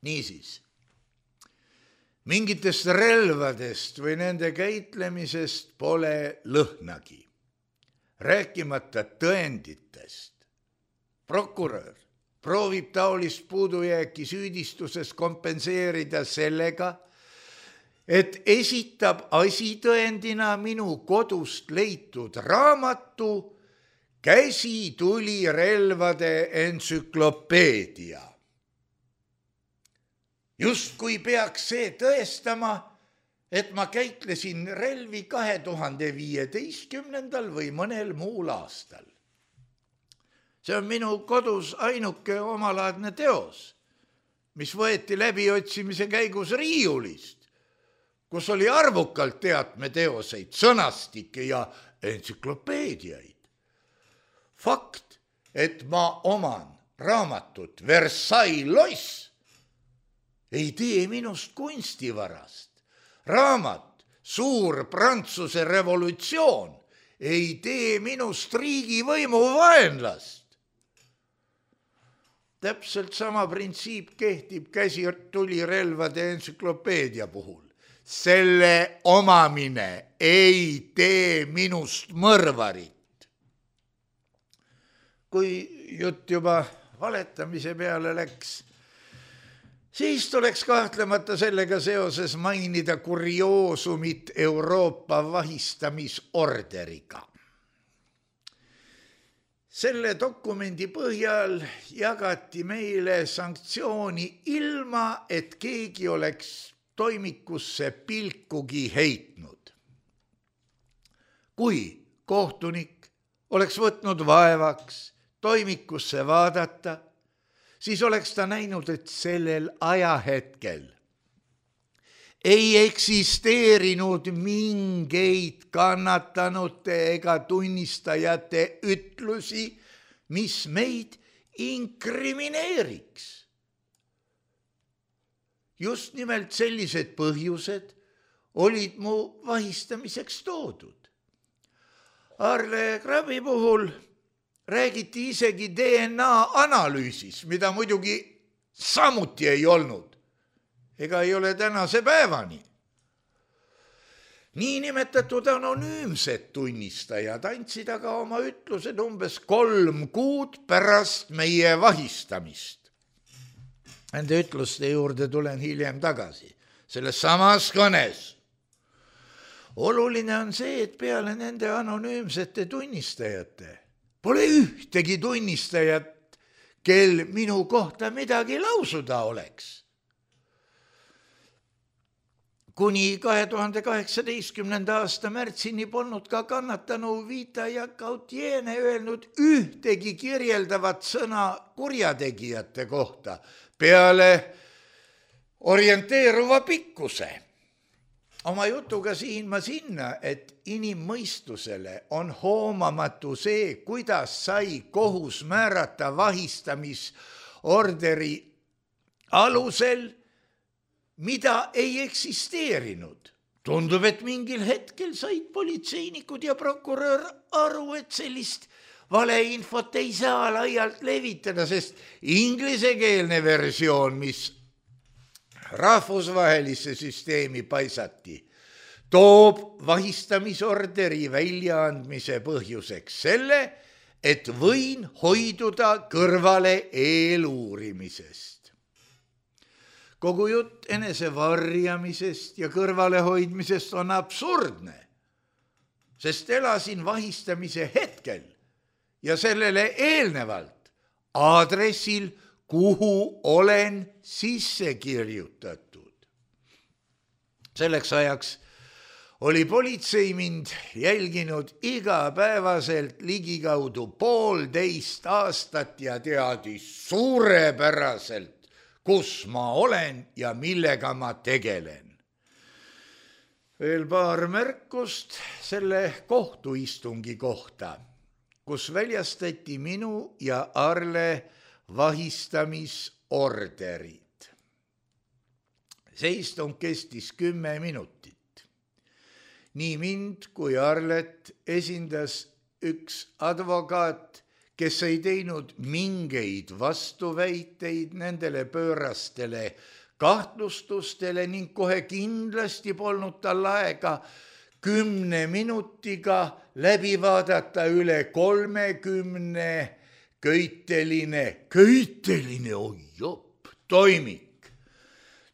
Niisiis, mingitest relvadest või nende käitlemisest pole lõhnagi, rääkimata tõenditest. Prokurör proovib taolist puudujääki süüdistuses kompenseerida sellega, et esitab asitõendina minu kodust leitud raamatu Käsitulirelvade entsüklopeedia. Justkui peaks see tõestama, et ma käitlesin relvi 2015. või mõnel muul aastal. See on minu kodus ainuke omalaadne teos, mis võeti läbiotsimise käigus riiulist, kus oli arvukalt teatmeteoseid, sõnastikke ja entsüklopeediaid. Fakt, et ma oman raamatut Versailles loss, ei tee minust kunstivarast. Raamat Suur Prantsuse revolutsioon ei tee minust riigivõimu vaenlast. Täpselt sama printsiip kehtib käsitulirelvade entsüklopeedia puhul. Selle omamine ei tee minust mõrvarit. Kui jutt juba valetamise peale läks, siis tuleks kahtlemata sellega seoses mainida kurioosumit Euroopa vahistamisorderiga. Selle dokumendi põhjal jagati meile sanktsiooni ilma, et keegi oleks toimikusse pilkugi heitnud. Kui kohtunik oleks võtnud vaevaks toimikusse vaadata, siis oleks ta näinud, et sellel ajahetkel ei eksisteerinud mingeid kannatanute ega tunnistajate ütlusi, mis meid inkrimineeriks. Just nimelt sellised põhjused olid mu vahistamiseks toodud. Arle Krabbi puhul räägiti isegi DNA analüüsis, mida muidugi samuti ei olnud. Ega ei ole tänase päevani. Niinimetatud anonüümsed tunnistajad andsid aga oma ütlused umbes 3 kuud pärast meie vahistamist. Nende ütluste juurde tulen hiljem tagasi, selles samas kõnes. Oluline on see, et peale nende anonüümsete tunnistajate pole ühtegi tunnistajat, kel minu kohta midagi lausuda oleks. Kuni 2018. aasta märtsini polnud ka kannatanu Vita Jakautiene öelnud ühtegi kirjeldavat sõna kurjategijate kohta peale orienteeruva pikkuse. Oma jutuga siin ma sinna, et inimmõistusele on hoomamatu see, kuidas sai kohus määrata vahistamisorderi alusel, mida ei eksisteerinud. Tundub, et mingil hetkel said politseinikud ja prokurör aru, et sellist valeinfot ei saa laialt levitada, sest inglisekeelne versioon, mis rahvusvahelisse süsteemi paisati, toob vahistamisorderi väljaandmise põhjuseks selle, et võin hoiduda kõrvale eeluurimisest. Kogu jutt enese varjamisest ja kõrvalehoidmisest on absurdne, sest elasin vahistamise hetkel ja sellele eelnevalt aadressil, kuhu olen sisse kirjutatud. Selleks ajaks oli politsei mind jälginud igapäevaselt ligikaudu 1,5 aastat ja teadis suurepäraselt, kus ma olen ja millega ma tegelen. Veel paar märkust selle kohtuistungi kohta, kus väljastati minu ja Arle vahistamisorderid. See istung kestis 10 minutit. Nii mind kui Arlet esindas üks advokaat, kes ei teinud mingeid vastuväiteid nendele pöörastele kahtlustustele ning kohe kindlasti polnud tal aega 10 minutiga läbi vaadata üle 30 köiteline ojop toimik.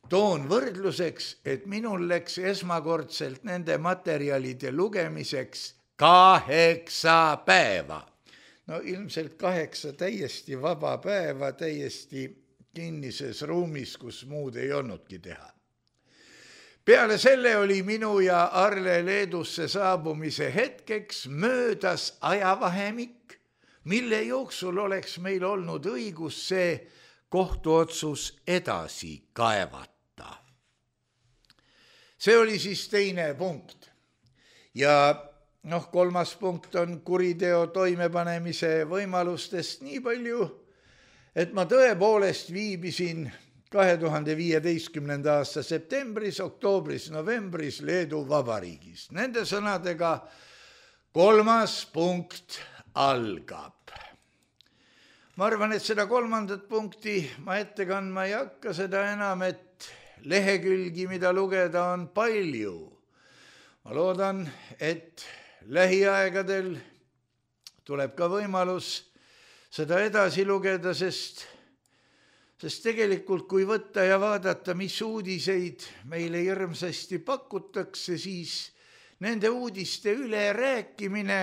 Toon võrdluseks, et minul läks esmakordselt nende materjalide lugemiseks 8 päeva. No ilmselt 8 täiesti vaba päeva, täiesti kinnises ruumis, kus muud ei olnudki teha. Peale selle oli minu ja Arle Leedusse saabumise hetkeks möödas ajavahemik, mille jooksul oleks meil olnud õigus see kohtuotsus edasi kaevata. See oli siis teine punkt. Ja 3. punkt on kuriteo toimepanemise võimalustest nii palju, et ma tõepoolest viibisin 2015. aasta septembris, oktoobris, novembris Leedu Vabariigis. Nende sõnadega 3. punkt algab. Ma arvan, et seda 3. punkti ma ette kandma ei hakka, seda enam, et lehekülgi, mida lugeda, on palju. Ma loodan, et lähiaegadel tuleb ka võimalus seda edasi lugeda, sest tegelikult kui võtta ja vaadata, mis uudiseid meile hirmsasti pakutakse, siis nende uudiste üle rääkimine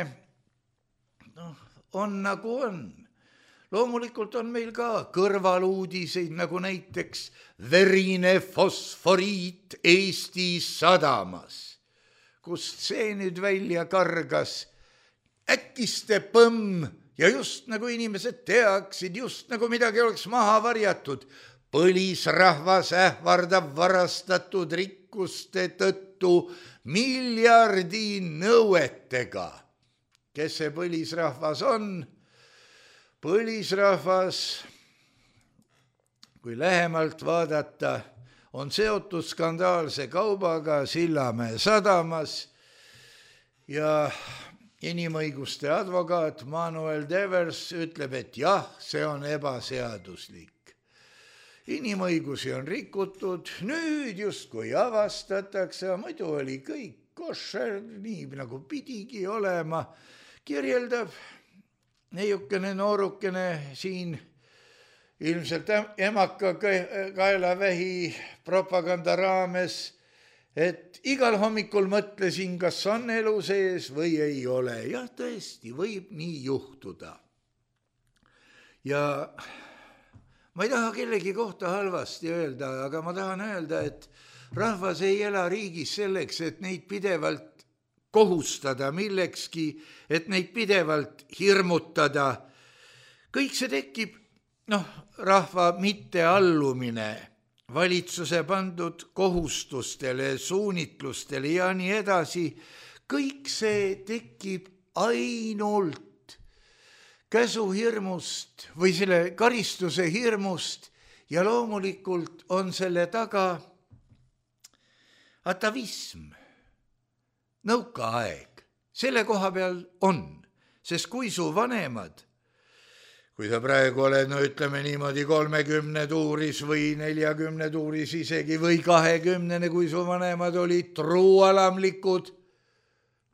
on nagu on. Loomulikult on meil ka kõrvaluudiseid, nagu näiteks verine fosforiit Eesti sadamas. Kust see nüüd välja kargas? Äkiste põmm ja just nagu inimesed teaksid, just nagu midagi oleks maha varjatud. Põlisrahvas ähvardab varastatud rikkuste tõttu miljardi nõuetega. Kes see põlisrahvas on? Põlisrahvas, kui lähemalt vaadata, on seotud skandaalse kaubaga Sillamäe sadamas ja inimõiguste advokaat Manuel Devers ütleb, et jah, see on ebaseaduslik. Inimõigusi on rikutud, nüüd justkui avastatakse, muidu oli kõik košer, nii nagu pidigi olema, kirjeldab neiukene noorukene siin ilmselt emaka kaelavähi propaganda raames, et igal hommikul mõtlesin, kas on elu sees või ei ole. Jah, tõesti, võib nii juhtuda. Ja ma ei taha kellegi kohta halvasti öelda, aga ma tahan öelda, et rahvas ei ela riigis selleks, et neid pidevalt kohustada millekski, et neid pidevalt hirmutada. Kõik see tekib, rahva mitteallumine, valitsuse pandud kohustustele, suunitlustele ja nii edasi. Kõik see tekib ainult käsuhirmust või selle karistuse hirmust ja loomulikult on selle taga atavism. Nõukaaeg, selle koha peal on, sest kui su vanemad, kui sa praegu oled, ütleme niimoodi 30 tuuris või 40 tuuris isegi või 20, kui su vanemad olid truualamlikud,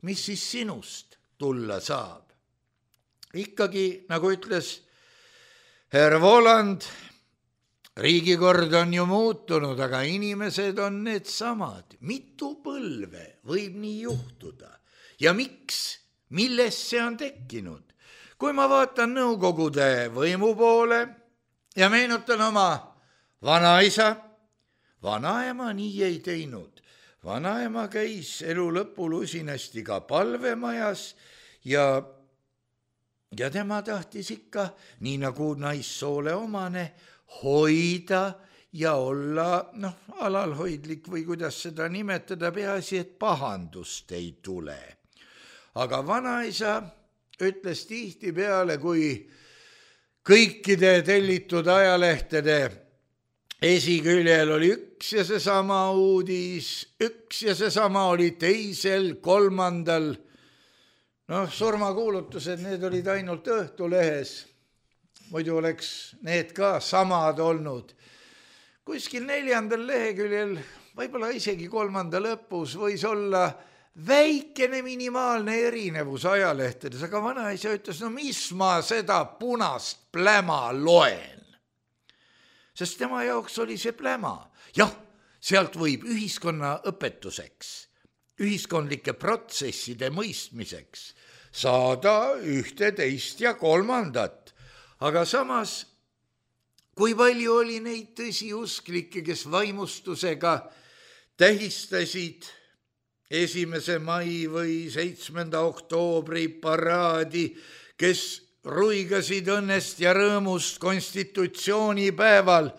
mis siis sinust tulla saab? Ikkagi, nagu ütles Herr Voland, riigikord on ju muutunud, aga inimesed on need samad. Mitu põlve võib nii juhtuda? Ja miks? Milles see on tekkinud? Kui ma vaatan nõukogude võimu poole ja meenutan oma vanaisa, vanaema nii ei teinud. Vanaema käis elu lõpul usinasti ka palvemajas ja tema tahtis ikka, nii nagu naissoole omane, hoida ja olla alalhoidlik või kuidas seda nimetada, peaasi, et pahandust ei tule. Aga vanaisa ütles tihti peale, kui kõikide tellitud ajalehtede esiküljel oli üks ja seesama uudis, üks ja seesama oli teisel, kolmandal. Surmakuulutused, need olid ainult Õhtulehes. Muidu oleks need ka samad olnud. Kuskil 4. leheküljel, võib-olla isegi 3. lõpus võis olla väikene minimaalne erinevus ajalehtedes, aga vanaisa ütles, mis ma seda punast pläma loen. Sest tema jaoks oli see pläma. Jah, sealt võib ühiskonna õpetuseks, ühiskondlike protsesside mõistmiseks saada 1, 2 ja 3. Aga samas, kui palju oli neid tõsiusklikke, kes vaimustusega tähistasid 1. mai või 7. oktoobri paraadi, kes ruigasid õnnest ja rõõmust konstitutsioonipäeval.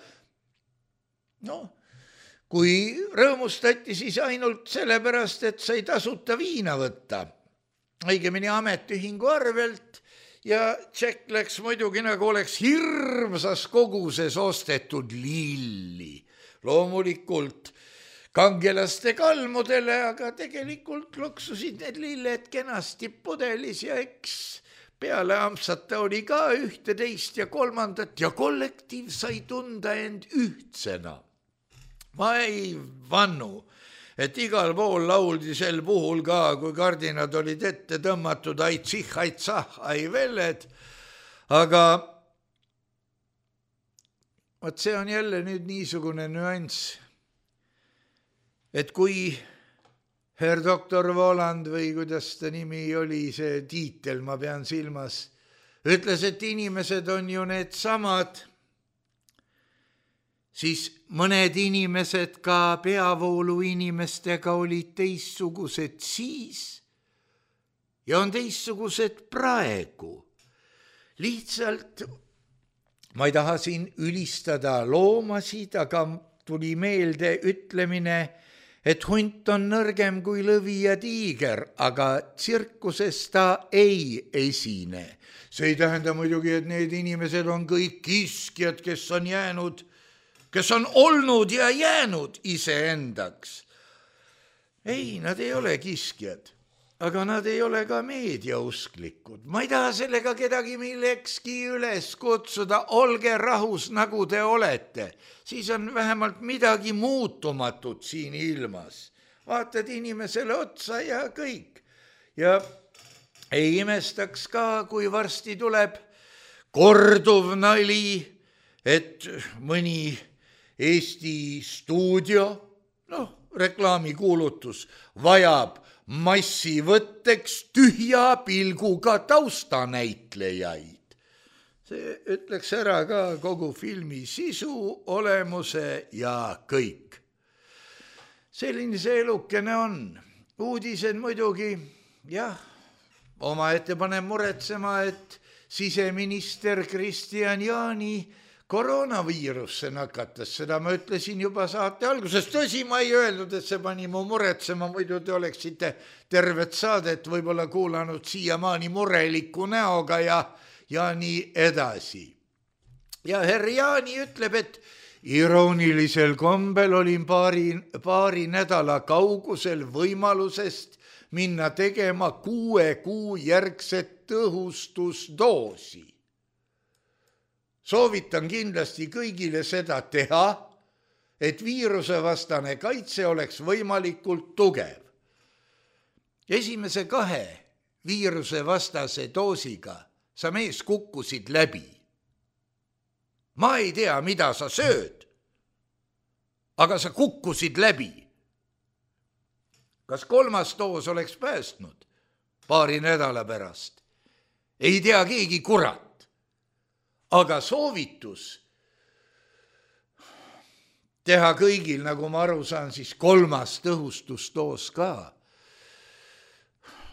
Kui rõõmustati, siis ainult sellepärast, et sai tasuta viina võtta. Õigemini ametiühingu arvelt ja tšekk läks muidugi nagu oleks hirmsas koguses ostetud lilli. Loomulikult kangelaste kalmudele, aga tegelikult loksusid need lilled kenasti pudelis ja eks peale ampsata oli ka 1, 2 ja 3. ja kollektiiv sai tunda end ühtsena. Ma ei vannu, et igal pool lauldi sel puhul ka, kui kardinad olid ette tõmmatud aitsih, aitsah, ai veled, aga vot see on jälle nüüd niisugune nüanss, et kui Herr Doktor Voland või kuidas ta nimi oli, see tiitel, ma pean silmas, ütles, et inimesed on ju need samad, siis mõned inimesed ka peavoolu inimestega olid teistsugused siis ja on teistsugused praegu. Lihtsalt ma ei taha siin ülistada loomasid, aga tuli meelde ütlemine, et hunt on nõrgem kui lõvi ja tiiger, aga tsirkuses ta ei esine. See ei tähenda muidugi, et need inimesed on kõik kiskjad, kes on olnud ja jäänud iseendaks. Ei, nad ei ole kiskjad, aga nad ei ole ka meediausklikud. Ma ei taha sellega kedagi millekski üles kutsuda, olge rahus, nagu te olete. Siis on vähemalt midagi muutumatut siin ilmas. Vaatad inimesele otsa ja kõik. Ja ei imestaks ka, kui varsti tuleb korduv nali, et mõni Eesti stuudio, reklaamikuulutus, vajab massivõtteks tühja pilguga taustanäitlejaid. See ütleks ära ka kogu filmi sisu, olemuse ja kõik. Selline see elukene on. Uudised muidugi, jah, omaette paneb muretsema, et siseminister Kristian Jaani koroonaviirusse nakatas. Seda ma ütlesin juba saate alguses. Tõsi, ma ei öelnud, et see pani mu muretsema, muidu te oleksite tervet saadet võib-olla kuulanud siiamaani mureliku näoga ja nii edasi. Ja herr Jaani ütleb, et iroonilisel kombel olin paari nädala kaugusel võimalusest minna tegema 6 kuu järgset tõhustusdoosi. Soovitan kindlasti kõigile seda teha, et viirusevastane kaitse oleks võimalikult tugev. Esimese 2 viirusevastase doosiga sa mees kukkusid läbi. Ma ei tea, mida sa sööd, aga sa kukkusid läbi. Kas 3. doos oleks päästnud paari nädala pärast? Ei tea keegi kurat. Aga soovitus teha kõigil, nagu ma aru saan, siis 3. tõhustusdoos ka,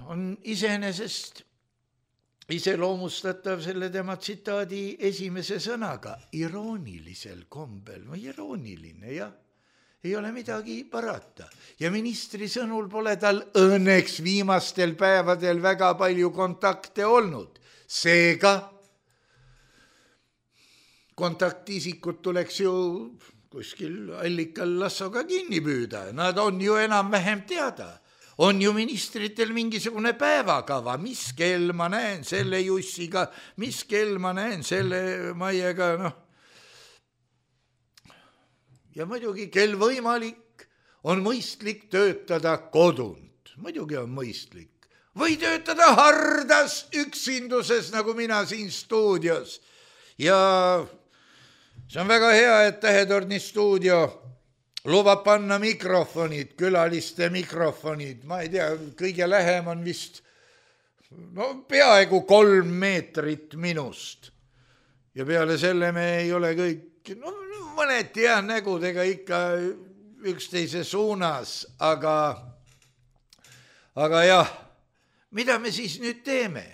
on iseenesest iseloomustatav selle tema tsitaadi esimese sõnaga, iroonilisel kombel. Irooniline, jah, ei ole midagi parata. Ja ministri sõnul pole tal õnneks viimastel päevadel väga palju kontakte olnud. Seega kontaktisikud tuleks ju kuskil allikal lassoga kinni püüda. Nad on ju enam-vähem teada. On ju ministritel mingisugune päevakava, mis kell ma näen selle Jussiga, mis kell ma näen selle Maiega, Ja muidugi kell võimalik on mõistlik töötada kodunt. Muidugi on mõistlik. Või töötada hardas üksinduses, nagu mina siin stuudios. Ja see on väga hea, et Tähetorni stuudio lubab panna mikrofonid, külaliste mikrofonid. Ma ei tea, kõige lähem on vist peaaegu 3 meetrit minust. Ja peale selle me ei ole kõik, mõneti jah, nägudega ikka üksteise suunas, aga jah, mida me siis nüüd teeme?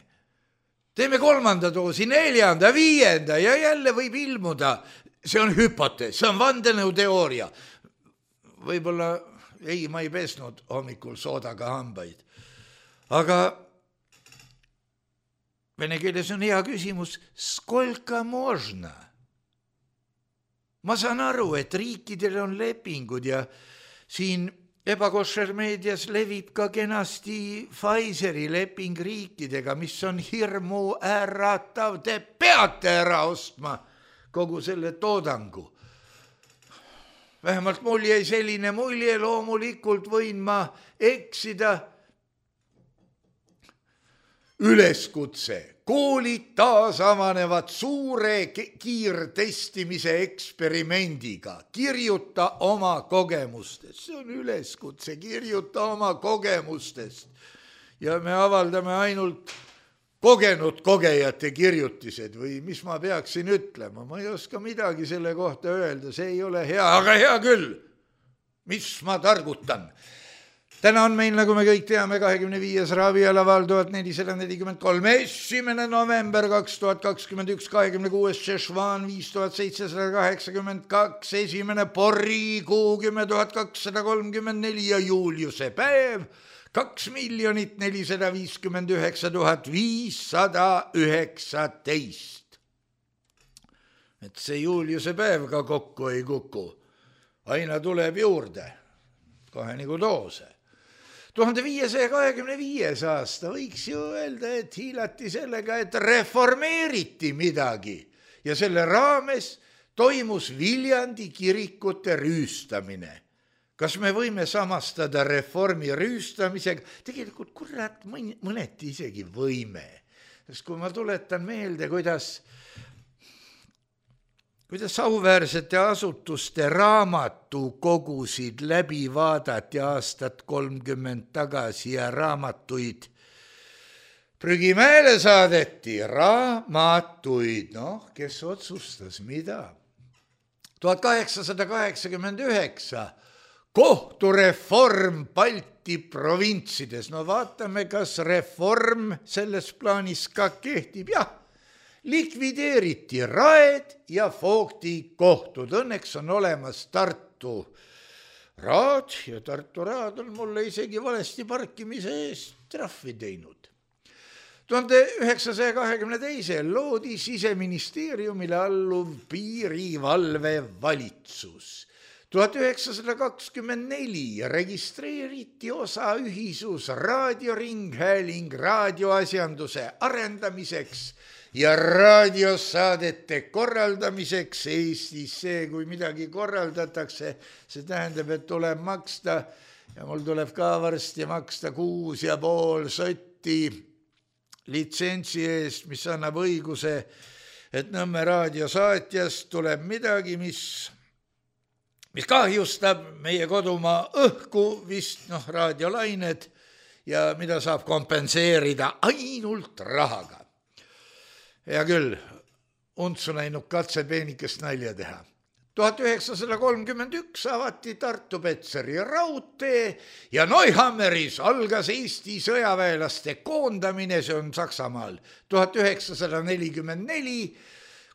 Teeme 3. doosi, 4., 5. ja jälle võib ilmuda. See on hüpotees, see on vandenõuteooria. Võib-olla, ma ei pesnud hommikul soodaga hambaid. Aga vene keeles on hea küsimus, skolka možna? Ma saan aru, et riikidel on lepingud ja siin ebakošer meedias levib ka kenasti Pfizeri leping riikidega, mis on hirmu äratav. Te peate ära ostma kogu selle toodangu. Vähemalt mul jäi selline mulje, loomulikult võin ma eksida. Üleskutse. Koolid taas avanevad suure kiirtestimise eksperimendiga. Kirjuta oma kogemustest. See on üleskutse, kirjuta oma kogemustest. Ja me avaldame ainult kogenud kogejate kirjutised või mis ma peaksin ütlema, ma ei oska midagi selle kohta öelda, see ei ole hea, aga hea küll, mis ma targutan. Täna on meil, nagu me kõik teame, 25. ravialaval 1443, 1. november 2021, 26. Šešvan 5782, 1. porrikuu 10 234 ja Juliuse päev 2 459 519. Et see Juliuse päev ka kokku ei kuku, aina tuleb juurde, kohe nagu doose. 1525. aasta võiks ju öelda, et hiilati sellega, et reformeeriti midagi ja selle raames toimus Viljandi kirikute rüüstamine. Kas me võime samastada reformi rüüstamisega? Tegelikult kurat mõneti isegi võime. Sest kui ma tuletan meelde, kuidas auväärsete asutuste raamatukogusid läbi vaadati aastat 30 tagasi ja raamatuid prügimäele saadeti, raamatuid, kes otsustas mida? 1889 kohtureform Balti provintsides. Vaatame, kas reform selles plaanis ka kehtib. Jah, likvideeriti raed ja Foogti kohtud. Õnneks on olemas Tartu raad ja Tartu raad on mulle isegi valesti parkimise eest trahvi teinud. 1922 loodi Siseministeeriumile alluv piirivalve valitsus. 1924 registreeriti osaühisus raadioringhääling raadioasjanduse arendamiseks ja raadiosaadete korraldamiseks Eestis. See, kui midagi korraldatakse, see tähendab, et tuleb maksta ja mul tuleb ka varsti maksta 6,5 sotti litsentsi eest, mis annab õiguse, et Nõmme raadiosaatjast tuleb midagi, mis kahjustab meie kodumaa õhku, vist raadiolained ja mida saab kompenseerida ainult rahaga. Hea küll, untsu läinud katse peenikest nalja teha. 1931 avati Tartu-Petseri raudtee ja Neuhammeris algas Eesti sõjaväelaste koondamine, see on Saksamaal. 1944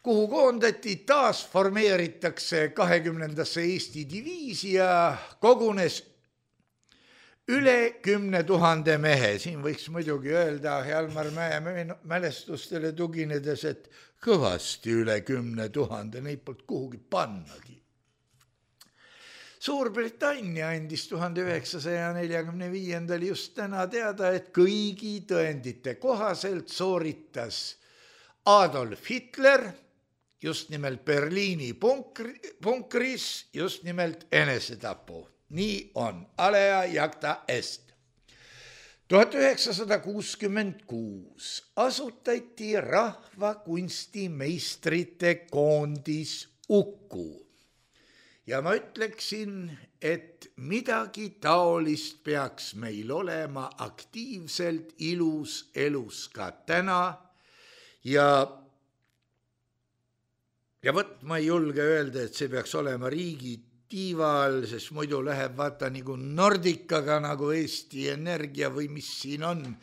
kuhu koondati, taas formeeritakse 20. Eesti diviisi ja kogunes üle 10 000 mehe. Siin võiks muidugi öelda Hjalmar Mäe mälestustele tuginedes, et kõvasti üle 10 000, neid polnud kuhugi pannagi. Suurbritannia andis 1945. just täna teada, et kõigi tõendite kohaselt sooritas Adolf Hitler just nimelt Berliini punkris, just nimelt enesetapu. Nii on, alea jacta est. 1966 asutati rahvakunstimeistrite koondis Uku. Ja ma ütleksin, et midagi taolist peaks meil olema aktiivselt ilus elus ka täna ja võt ma ei julge öelda, et see peaks olema riigi tiival, sest muidu läheb vaata nagu Nordicaga, nagu Eesti Energia või mis siin on.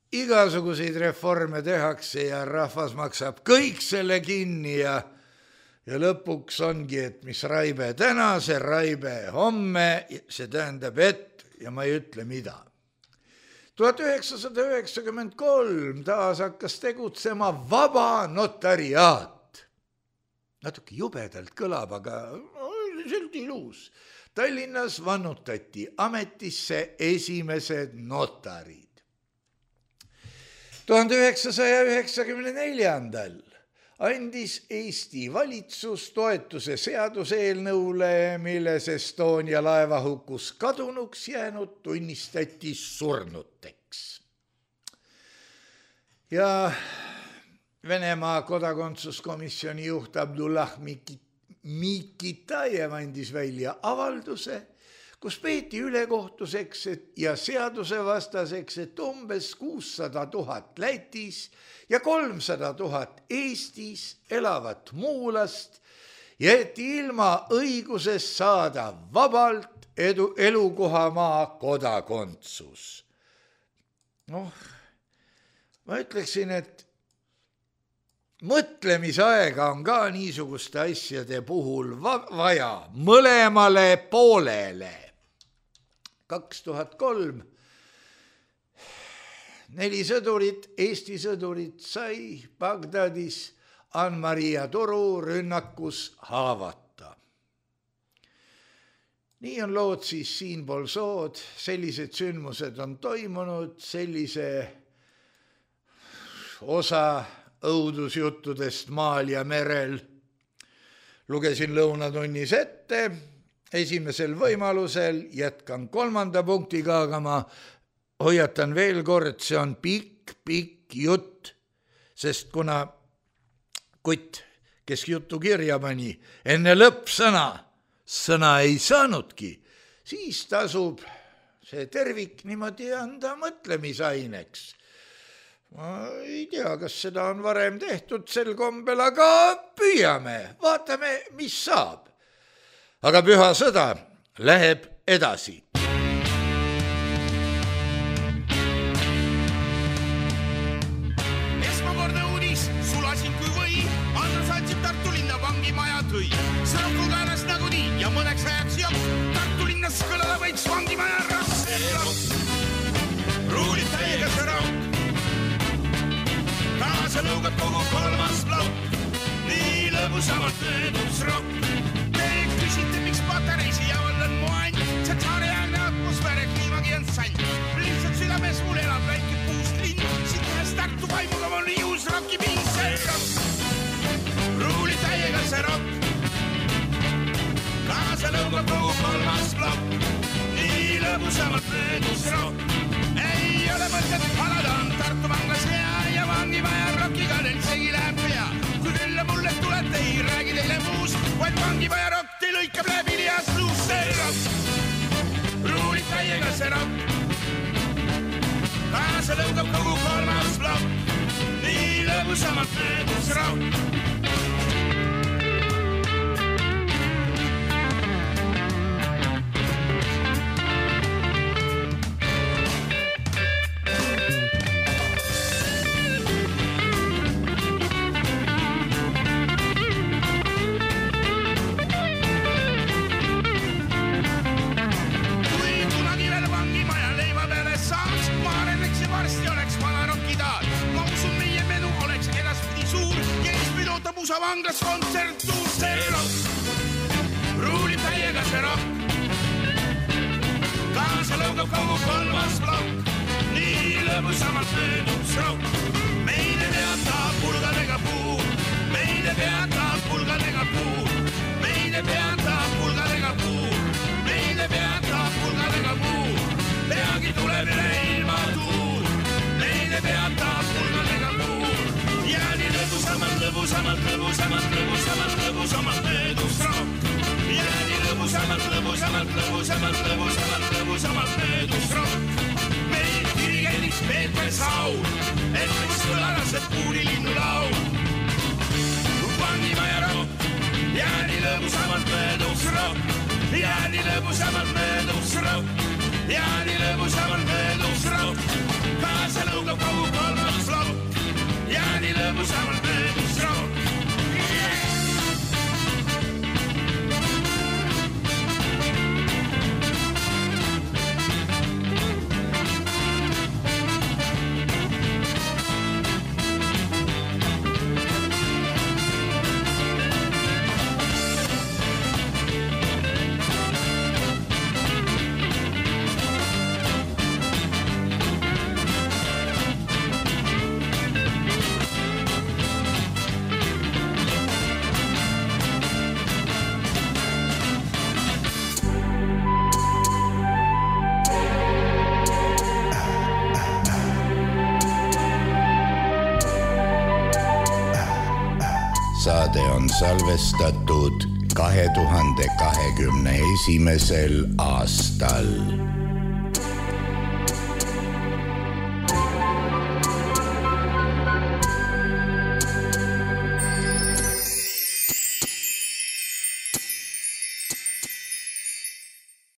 Igasuguseid reforme tehakse ja rahvas maksab kõik selle kinni ja lõpuks ongi, et mis raibe täna, see raibe homme, see tähendab et, ja ma ei ütle mida. 1993 taas hakkas tegutsema vaba notariaat. Natuke jubedalt kõlab, aga üldiselt ilus. Tallinnas vannutati ametisse esimesed notarid. 1994. andis Eesti valitsus toetuse seaduseelnõule, milles Estonia laevahukus kadunuks jäänud tunnistati surnuteks. Ja Venemaa kodakondsuskomisjoni juht Abdullah Mikitajev andis välja avalduse, kus peeti ülekohtuseks ja seadusevastaseks, et umbes 600 000 Lätis ja 300 000 Eestis elavat muulast jäeti ilma õigusest saada vabalt elukohamaa kodakondsus. Ma ütleksin, et mõtlemisaega on ka niisuguste asjade puhul vaja mõlemale poolele. 2003 4 sõdurit, Eesti sõdurit sai Bagdadis Ann-Maria Turu rünnakus haavata. Nii on lood siis siinpool sood, sellised sündmused on toimunud, sellise osa õudusjuttudest maal ja merel lugesin lõunatunnis ette, esimesel võimalusel jätkan 3. punktiga, aga ma hoiatan veel kord, see on pikk jutt, sest kuna kutt, kes jutu kirja pani, enne lõppsõna sõna ei saanudki, siis tasub see tervik niimoodi anda mõtlemisaineks. Ma ei tea, kas seda on varem tehtud sel kombel, aga püüame, vaatame, mis saab. Aga püha sõda läheb edasi. Esmakordne uudis, sulasin kui või, Andra Satsib Tartu linna vangimaja tõi. Sõnakul käelas nagu nii ja mõneks ajaks joks, Tartu linnas kõlada võiks vangimaja rass. Ruulid täiega see raud, kaasa lõugab kogu 3. plokk, nii lõbusamalt möödus rokk. Küsite, miks patareisi javal on mu ant, see tsaariaegne atmosfääre kliimagi on sant. Lihtsalt südames mul elab väike puust linn, siit käes Tartu vaimuga on juus rocki pind, see rokk. Ruuli täiega see rokk, kaasa lõugab kogu 3. plokk, nii lõbusamalt möödus rokk. Ei ole mõtet halada, on Tartu vanglas hea ja vangimaja rockiga teil segi läheb pea. Kui külla mulle tulete, ei räägi teile muust, vaid vangimaja rokk teil lõikab läbi lias luus, see rokk. Ruulid täiega see rokk, kaasa lõugab kogu 3. plokk, nii lõbusamalt möödus rokk. Vanglas kontsertuur, see rokk, ruulib täiega see rokk, kaasa lõugab kogu 3. plokk, nii lõbusamalt möödus rokk. Meile peatab pulgadega puu, meile peatab pulgadega puu, meile peatab pulgadega puu, meile peatab pulgadega puu, peagi tuleb üle ilma tuul, meile peatab pulgadega puu. Ja nii lõbusamalt möödus rokk. Ja nii lõbusamalt möödus rokk. Meil dirigendis Peeter Saul, et võiks kõlada see puurilinnu laul. Vangimaja rokk, ja nii lõbusamalt möödus rokk. Ja nii lõbusamalt möödus rokk. Ja nii lõbusamalt möödus rokk. Kaasa lõugab kogu 3. plokk. Ja nii lõbusamalt möödus rokk. Saade on salvestatud 2021. aastal.